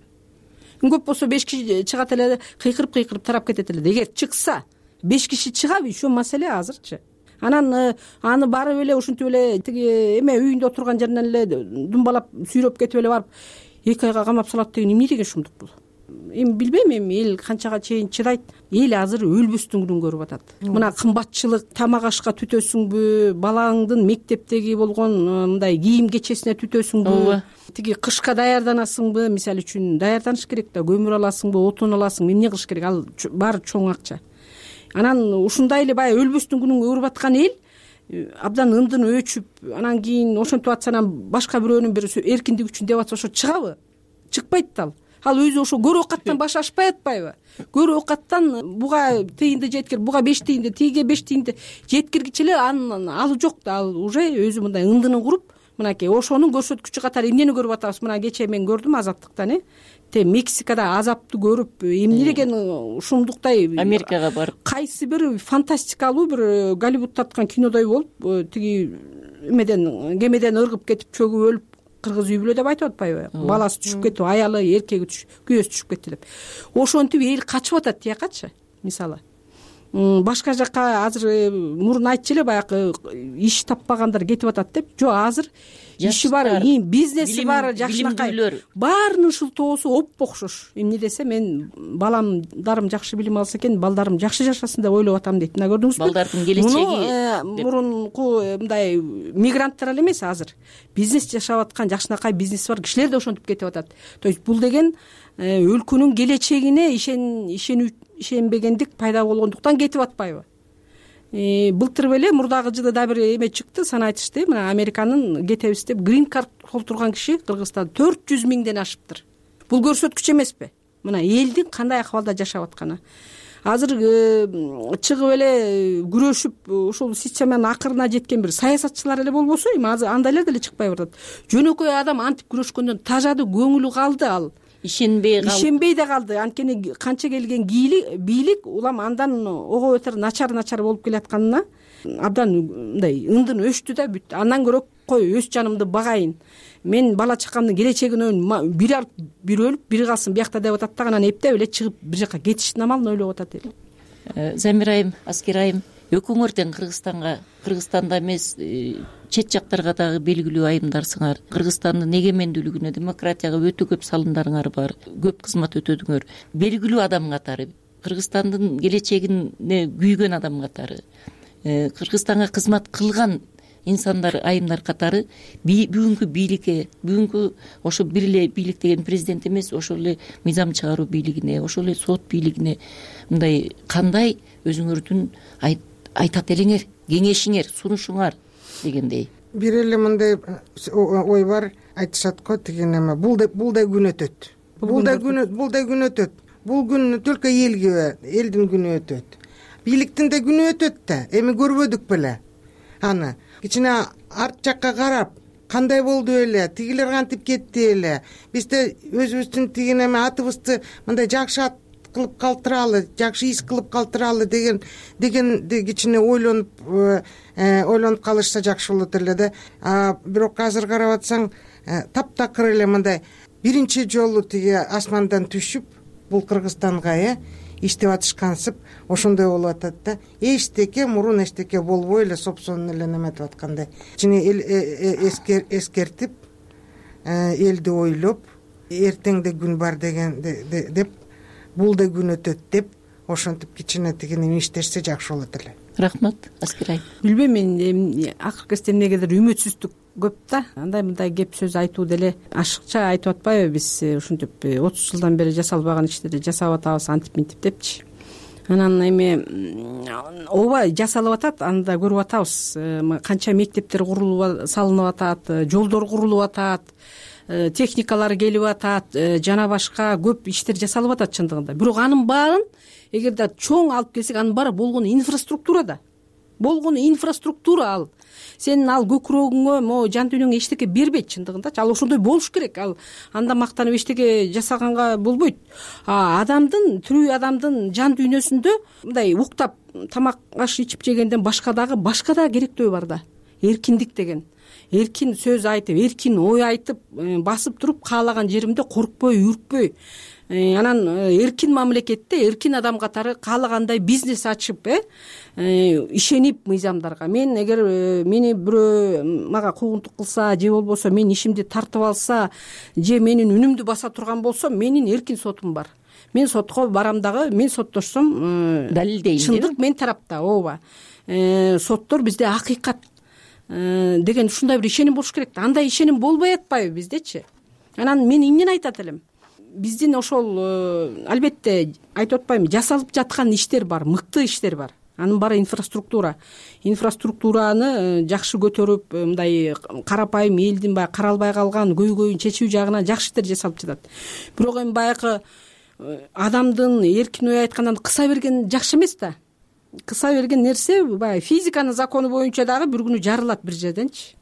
[SPEAKER 3] Көп болсо беш киши чыгат эле, кыйкырып-кыйкырып тарап кетет эле. Эгер чыкса, беш киши чыгабы, еще маселе азырчы. Анан аны барып эле ушинтип эле тиги эме үйүндө отурган жеринен эле думбалап сүйрөп кетип эле барып эки айга камап салат деген эмне деген шумдук бул? Эми билбейм, эми эл канчага чейин чыдайт. Эл азыр өлбөстүн күнүн көрүп атат. Мына кымбатчылык, тамак ашка түтөсүңбү, балаңдын мектептеги болгон мындай кийим кечесине түтөсүңбү, тиги кышка даярданасыңбы, мисалы үчүн даярданыш керек да, көмүр аласыңбы, отун аласыңбы, эмне кылыш керек? Ал баары чоң акча. Анан ушундай эле баягы өлбөстүн күнүн көрүп аткан эл абдан ындын өчүп, анан кийин ошентип атса, анан башка бирөөнүн бир эркиндик үчүн деп атса, ошо чыгабы? Чыкпайт да ал. Ал өзү ошо көр оокаттан баш ашпай атпайбы? Көр оокаттан буга тыйынды жеткир, буга беш тыйынды, тиге беш тыйынды жеткиргичи эле анын алы жок да. Ал уже өзү мындай ындынын куруп, мынакей ошонун көрсөткүчү катары эмнени көрүп атабыз? Мына кечээ мен көрдүм Азаттыктан, э те Мексикада азапты көрүп, эмне деген ушундуктай
[SPEAKER 22] Америкага барып,
[SPEAKER 3] кайсы бир фантастикалуу бир Голливуд тарткан кинодой болуп, тиги эмеден, кемеден ыргып кетип, чөгүп өлүп, кыргыз үй бүлө деп айтып атпайбы? Баласы түшүп кетип, аялы, эркеги түшүп, күйөөсү түшүп кетти деп. Ошентип эл качып атат тиякачы, мисалы. Башка жака азыр мурун айтчу эле, баягы иш таппагандар кетип атат деп. Жок, азыр иши бар, бизнеси бар, жакшынакай. Баарынын шылтоосу оппо окшош. Эмне десе, мен баламдарым жакшы билим алса экен, балдарым жакшы жашасын деп ойлоп атам дейт. Мына көрдүңүзбү?
[SPEAKER 22] Балдардын келечеги.
[SPEAKER 3] Мурунку мындай мигранттар эле эмес, азыр бизнес жашап аткан жакшынакай бизнеси бар кишилер да ошентип кетип атат. То есть бул деген өлкөнүн келечегине ишен ишенбегендик пайда болгондуктан кетип атпайбы? Былтыр беле мурдагы жылы да бир эме чыкты, сан айтышты. Мына Американын кетебиз деп грин карт толтурган киши Кыргызстанда төрт жүз миңден ашыптыр. Бул көрсөткүч эмеспи? Мына элдин кандай акыбалда жашап атканы. Азыр чыгып эле күрөшүп ушул системанын акырына жеткен бир саясатчылар эле болбосо, эми азыр андайлар деле чыкпай баратат. Жөнөкөй адам антип күрөшкөндөн тажады, көңүлү калды, ал
[SPEAKER 22] ишенбей калды.
[SPEAKER 3] Ишенбей да калды. Анткени канча келген бийлик улам андан ого бетер начар начар болуп келатканына абдан мындай ындын өчтү да бүттү. Андан көрө кой өз жанымды багайын. Мен бала чакамдын келечегин бир алып, бир өлүп, бир калсын биякта деп атат да, анан эптеп эле чыгып бир жака кетиштин амалын ойлоп атат эл.
[SPEAKER 22] Замир айым, Аскер айым, экөөңөр тең Кыргызстанга, Кыргызстанда эмес, чет жактарга дагы белгилүү айымдарсыңар. Кыргызстандын эгемендүүлүгүнө, демократияга өтө көп салымдарыңар бар. Көп кызмат өтөдүңөр. Белгилүү адам катары, Кыргызстандын келечегине күйгөн адам катары, Кыргызстанга кызмат кылган инсандар, айымдар катары бүгүнкү бийликке, бүгүнкү ошо бир эле бийлик деген президент эмес, ошол эле мыйзам чыгаруу бийлигине, ошол эле сот бийлигине мындай кандай өзүңөрдүн айтат элеңер, кеңешиңер, сунушуңар дегендей.
[SPEAKER 23] Бир эле мындай ой бар, айтышат го, тиги неме, бул да бул да күн өтөт. Бул да күн, бул да күн өтөт. Бул күн только элге, элдин күнү өтөт. Бийликтин да күнү өтөт да. Эми көрбөдүк беле аны. Кичине арт жакка карап, кандай болду эле, тигилер кантип кетти эле. Биз да өзүбүздүн тиги неме атыбызды мындай жакшы ат кылып калтыралы, жакшы иш кылып калтыралы деген деген кичине ойлонуп ойлонуп калышса жакшы болот эле да. Бирок азыр карап атсаң, таптакыр эле мындай биринчи жолу тиги асмандан түшүп, бул Кыргызстанга э иштеп атышкансып, ошондой болуп атат да. Эчтеке мурун эчтеке болбой эле сопсонун эле неметип аткандай. Кичине эскертип, элди ойлоп, эртеңде күн бар деген деп, бул да күн өтөт деп, ошентип кичине тигини иштешсе жакшы болот эле.
[SPEAKER 22] Рахмат, Аскер айым.
[SPEAKER 3] Билбейм, мен акыркы кезде эмнегедир үмүтсүздүк көп да. Андай мындай кеп сөз айтуу деле ашыкча айтып атпайбы? Биз ушинтип отуз жылдан бери жасалбаган иштерди жасап атабыз, антип минтип депчи. анан эми ооба жасалып атат, аны да көрүп атабыз. Канча мектептер курулуп салынып атат, жолдор курулуп атат, техникалар келип атат, жана башка көп иштер жасалып атат чындыгында. Бирок анын баарын эгерде чоң алып келсек, анын баары болгону инфраструктурада. Болгону инфраструктура ал. Сенин ал көкүрөгүңө, могу жан дүйнөңө эчтеке бербейт чындыгындачы. Ал ошондой болуш керек. Ал анда мактанып эчтеке жасаганга болбойт. А адамдын, тирүү адамдын жан дүйнөсүндө мындай уктап тамак аш ичип жегенден башка дагы башка да керектөө бар да. Эркиндик деген. Эркин сөз айтып, эркин ой айтып, басып туруп каалаган жеримде коркпой, үркпөй, анан эркин мамлекетте эркин адам катары каалагандай бизнес ачып, э ишенип мыйзамдарга. Мен эгер мени бирөө мага куугунтук кылса же болбосо менин ишимди тартып алса же менин үнүмдү баса турган болсо, менин эркин сотум бар. Мен сотко барам дагы, мен соттошсом
[SPEAKER 22] далилдейм.
[SPEAKER 3] Чындык мен тарапта, ооба. Соттор бизде акыйкат деген ушундай бир ишеним болуш керек. Андай ишеним болбой атпайбы биздечи? Анан мен эмнени айтат элем? Биздин ошол албетте айтып атпайбы, жасалып жаткан иштер бар, мыкты иштер бар. Анын баары инфраструктура. Инфраструктураны жакшы көтөрүп, мындай карапайым элдин баягы каралбай калган көйгөйүн чечүү жагынан жакшы иштер жасалып жатат. Бирок эми баягы адамдын эркин ой айткандан кыса берген жакшы эмес да. Кыса берген нерсе баягы физиканын закону боюнча дагы бир күнү жарылат бир жерденчи.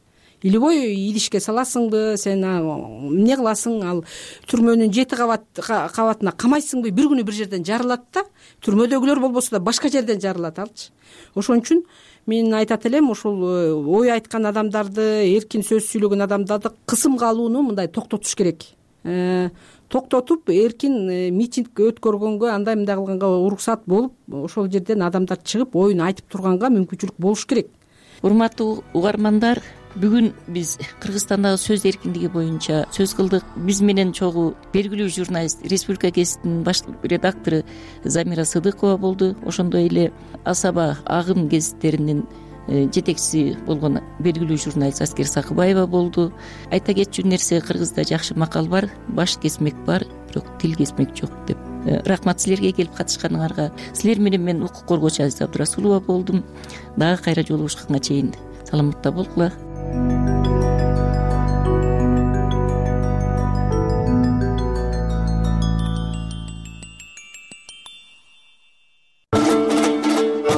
[SPEAKER 3] Илбой идишке саласыңбы, сен эмне кыласың, ал түрмөнүн жети кабат кабатына камайсыңбы, бир күнү бир жерден жарылат да. Түрмөдөгүлөр болбосо да башка жерден жарылат алчы. Ошон үчүн мен айтат элем, ошол ой айткан адамдарды, эркин сөз сүйлөгөн адамдарды кысымга алууну мындай токтотуш керек. Токтотуп, эркин митинг өткөргөнгө, андай мындай кылганга уруксат болуп, ошол жерден адамдар чыгып оюн айтып турганга мүмкүнчүлүк болуш керек.
[SPEAKER 22] Урматтуу угармандар, бүгүн биз Кыргызстандагы сөз эркиндиги боюнча сөз кылдык. Биз менен чогуу белгилүү журналист, Республика гезитинин баш редактору Замира Сыдыкова болду. Ошондой эле Асаба Агым гезиттеринин жетекчиси болгон белгилүү журналист Аскер Сакыбаева болду. Айта кетчү нерсе, кыргызда жакшы макал бар: баш кесмек бар, бирок тил кесмек жок деп. Рахмат силерге келип катышканыңарга. Силер менен мен укук коргоочу Азиза Абдурасулова болдум. Дагы кайра жолугушканга чейин саламатта болгула.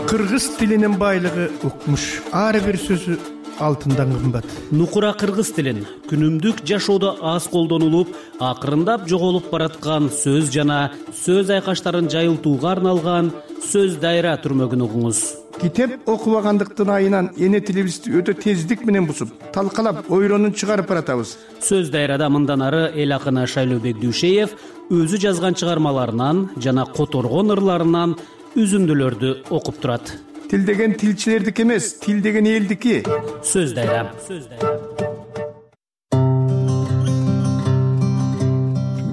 [SPEAKER 6] Кыргыз тилинин байлыгы укмуш. Ар бир сөзү алтындан кымбат.
[SPEAKER 2] Нукура кыргыз тилин күнүмдүк жашоодо аз колдонулуп, акырындап жоголуп бараткан сөз жана сөз айкаштарын жайылтууга арналган сөз дайра түрмөгүн угуңуз.
[SPEAKER 6] Китеп окубагандыктын айынан эне тилибизди өтө тездик менен бузуп, талкалап, ойронун чыгарып баратабыз.
[SPEAKER 2] Сөз дайрада мындан ары эл акыны Шайлообек Дүйшеев өзү жазган чыгармаларынан жана которгон ырларынан үзүндүлөрдү окуп турат.
[SPEAKER 6] Тил деген тилчилердики эмес, тил деген элдики.
[SPEAKER 2] Сөз дайра.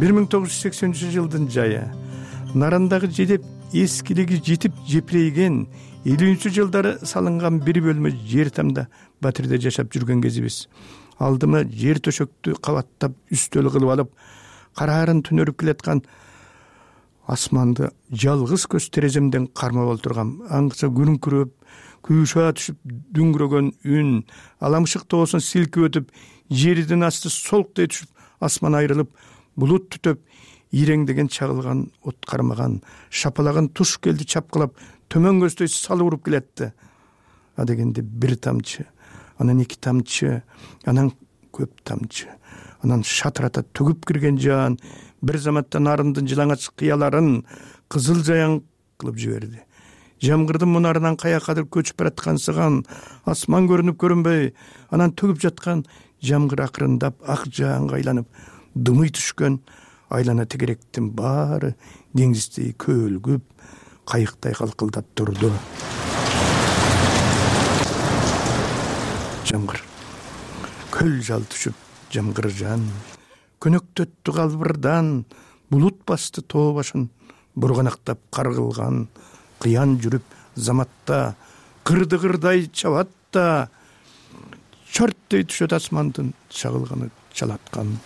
[SPEAKER 6] бир миң тогуз жүз сексенинчи жылдын жайы. Нарандагы жедеп эскилиги жетип жепирейген элүүнчү жылдары салынган бир бөлмө жер тамда Батирде жашап жүргөн кезибиз. Алдыма жер төшөктү кабаттап үстөл кылып алып, караарын түнөрүп келаткан асманды жалгыз көз тереземден кармап олтургам. Аңгыча күрүңкүрөп, күйшаа түшүп дүңгүрөгөн үн, аламшык тоосун силкип өтүп, жердин асты солктой түшүп, асман айрылып, булут түтөп, иреңдеген чагылган от кармаган, шапалаган туш келди чапкылап, төмөн көздөй салып уруп келетти. А дегенде бир тамчы, анан эки тамчы, анан көп тамчы, анан шатырата төгүп кирген жан бир заматта нарындын жылаңач кыяларын кызыл жаяң кылып жиберди. Жамгырдын мунарынан каякадыр көчүп бараткансыган асман көрүнүп көрүнбөй, анан төгүп жаткан жамгыр акырындап ак жааңга айланып, дымый түшкөн айлана тегеректин баары деңиздей көөлгүп, кайыктай калкылдап турду. Жамгыр көл жал түшүп, жамгыр жан көнөктөттү калбырдан, булут басты тоо башын, бурганактап каргылган, кыян жүрүп заматта, кырды-кырдай чабат да, чөрттөй түшөт асмандын чагылганы чалаткан.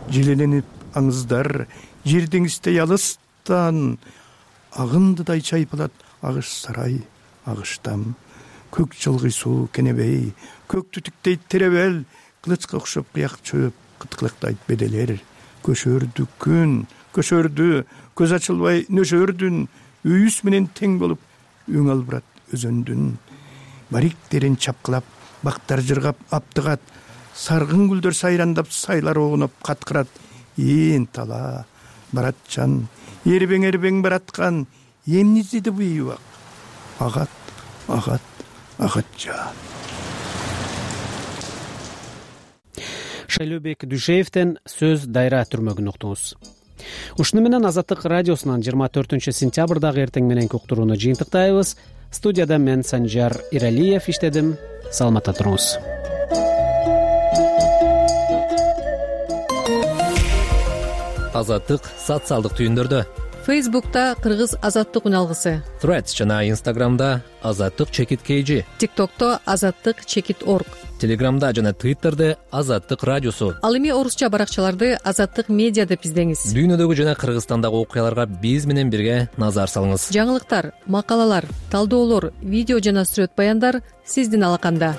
[SPEAKER 6] Желеленип аңыздар жер деңиздей алыстан агындыдай чайпылат агыш сарай агыштам. Көк жылгый суу кенебей, көк түтүктей теребел, кылычка окшоп кыяк чөп кыткылыктайт беделер. Көшөрдү күн, көшөрдү, көз ачылбай нөшөрдүн, үйүс менен тең болуп өң албырат өзөндүн. Бариктерин чапкылап, бактар жыргап аптыгат, саргын гүлдөр сайрандап, сайлар огунуп каткырат. Ээн тала барат жан, эрбең эрбең бараткан, эмне издеди бу ийбак? Агат, агат, агат жан.
[SPEAKER 2] Шайлообек Дүйшеевден сөз Дайра түрмөгүн уктуңуз. Ушуну менен Азаттык радиосунан жыйырма төртүнчү сентябрдагы эртең мененки уктурууну жыйынтыктайбыз. Студияда мен Санжар Иралиев иштедим. Саламатта туруңуз.
[SPEAKER 7] Азаттык социалдык түйүндөрдө.
[SPEAKER 8] Фейсбукта Кыргыз азаттык үналгысы,
[SPEAKER 7] Threads жана Инстаграмда Азаттык чекит kg,
[SPEAKER 8] ТикТокто Азаттык чекит орг,
[SPEAKER 7] Телеграмда жана Твиттерде Азаттык радиосу.
[SPEAKER 8] Ал эми орусча баракчаларды Азаттык медиа деп издеңиз.
[SPEAKER 7] Дүйнөдөгү жана Кыргызстандагы окуяларга биз менен бирге назар салыңыз.
[SPEAKER 8] Жаңылыктар, макалалар, талдоолор, видео жана сүрөт баяндар сиздин алаканда.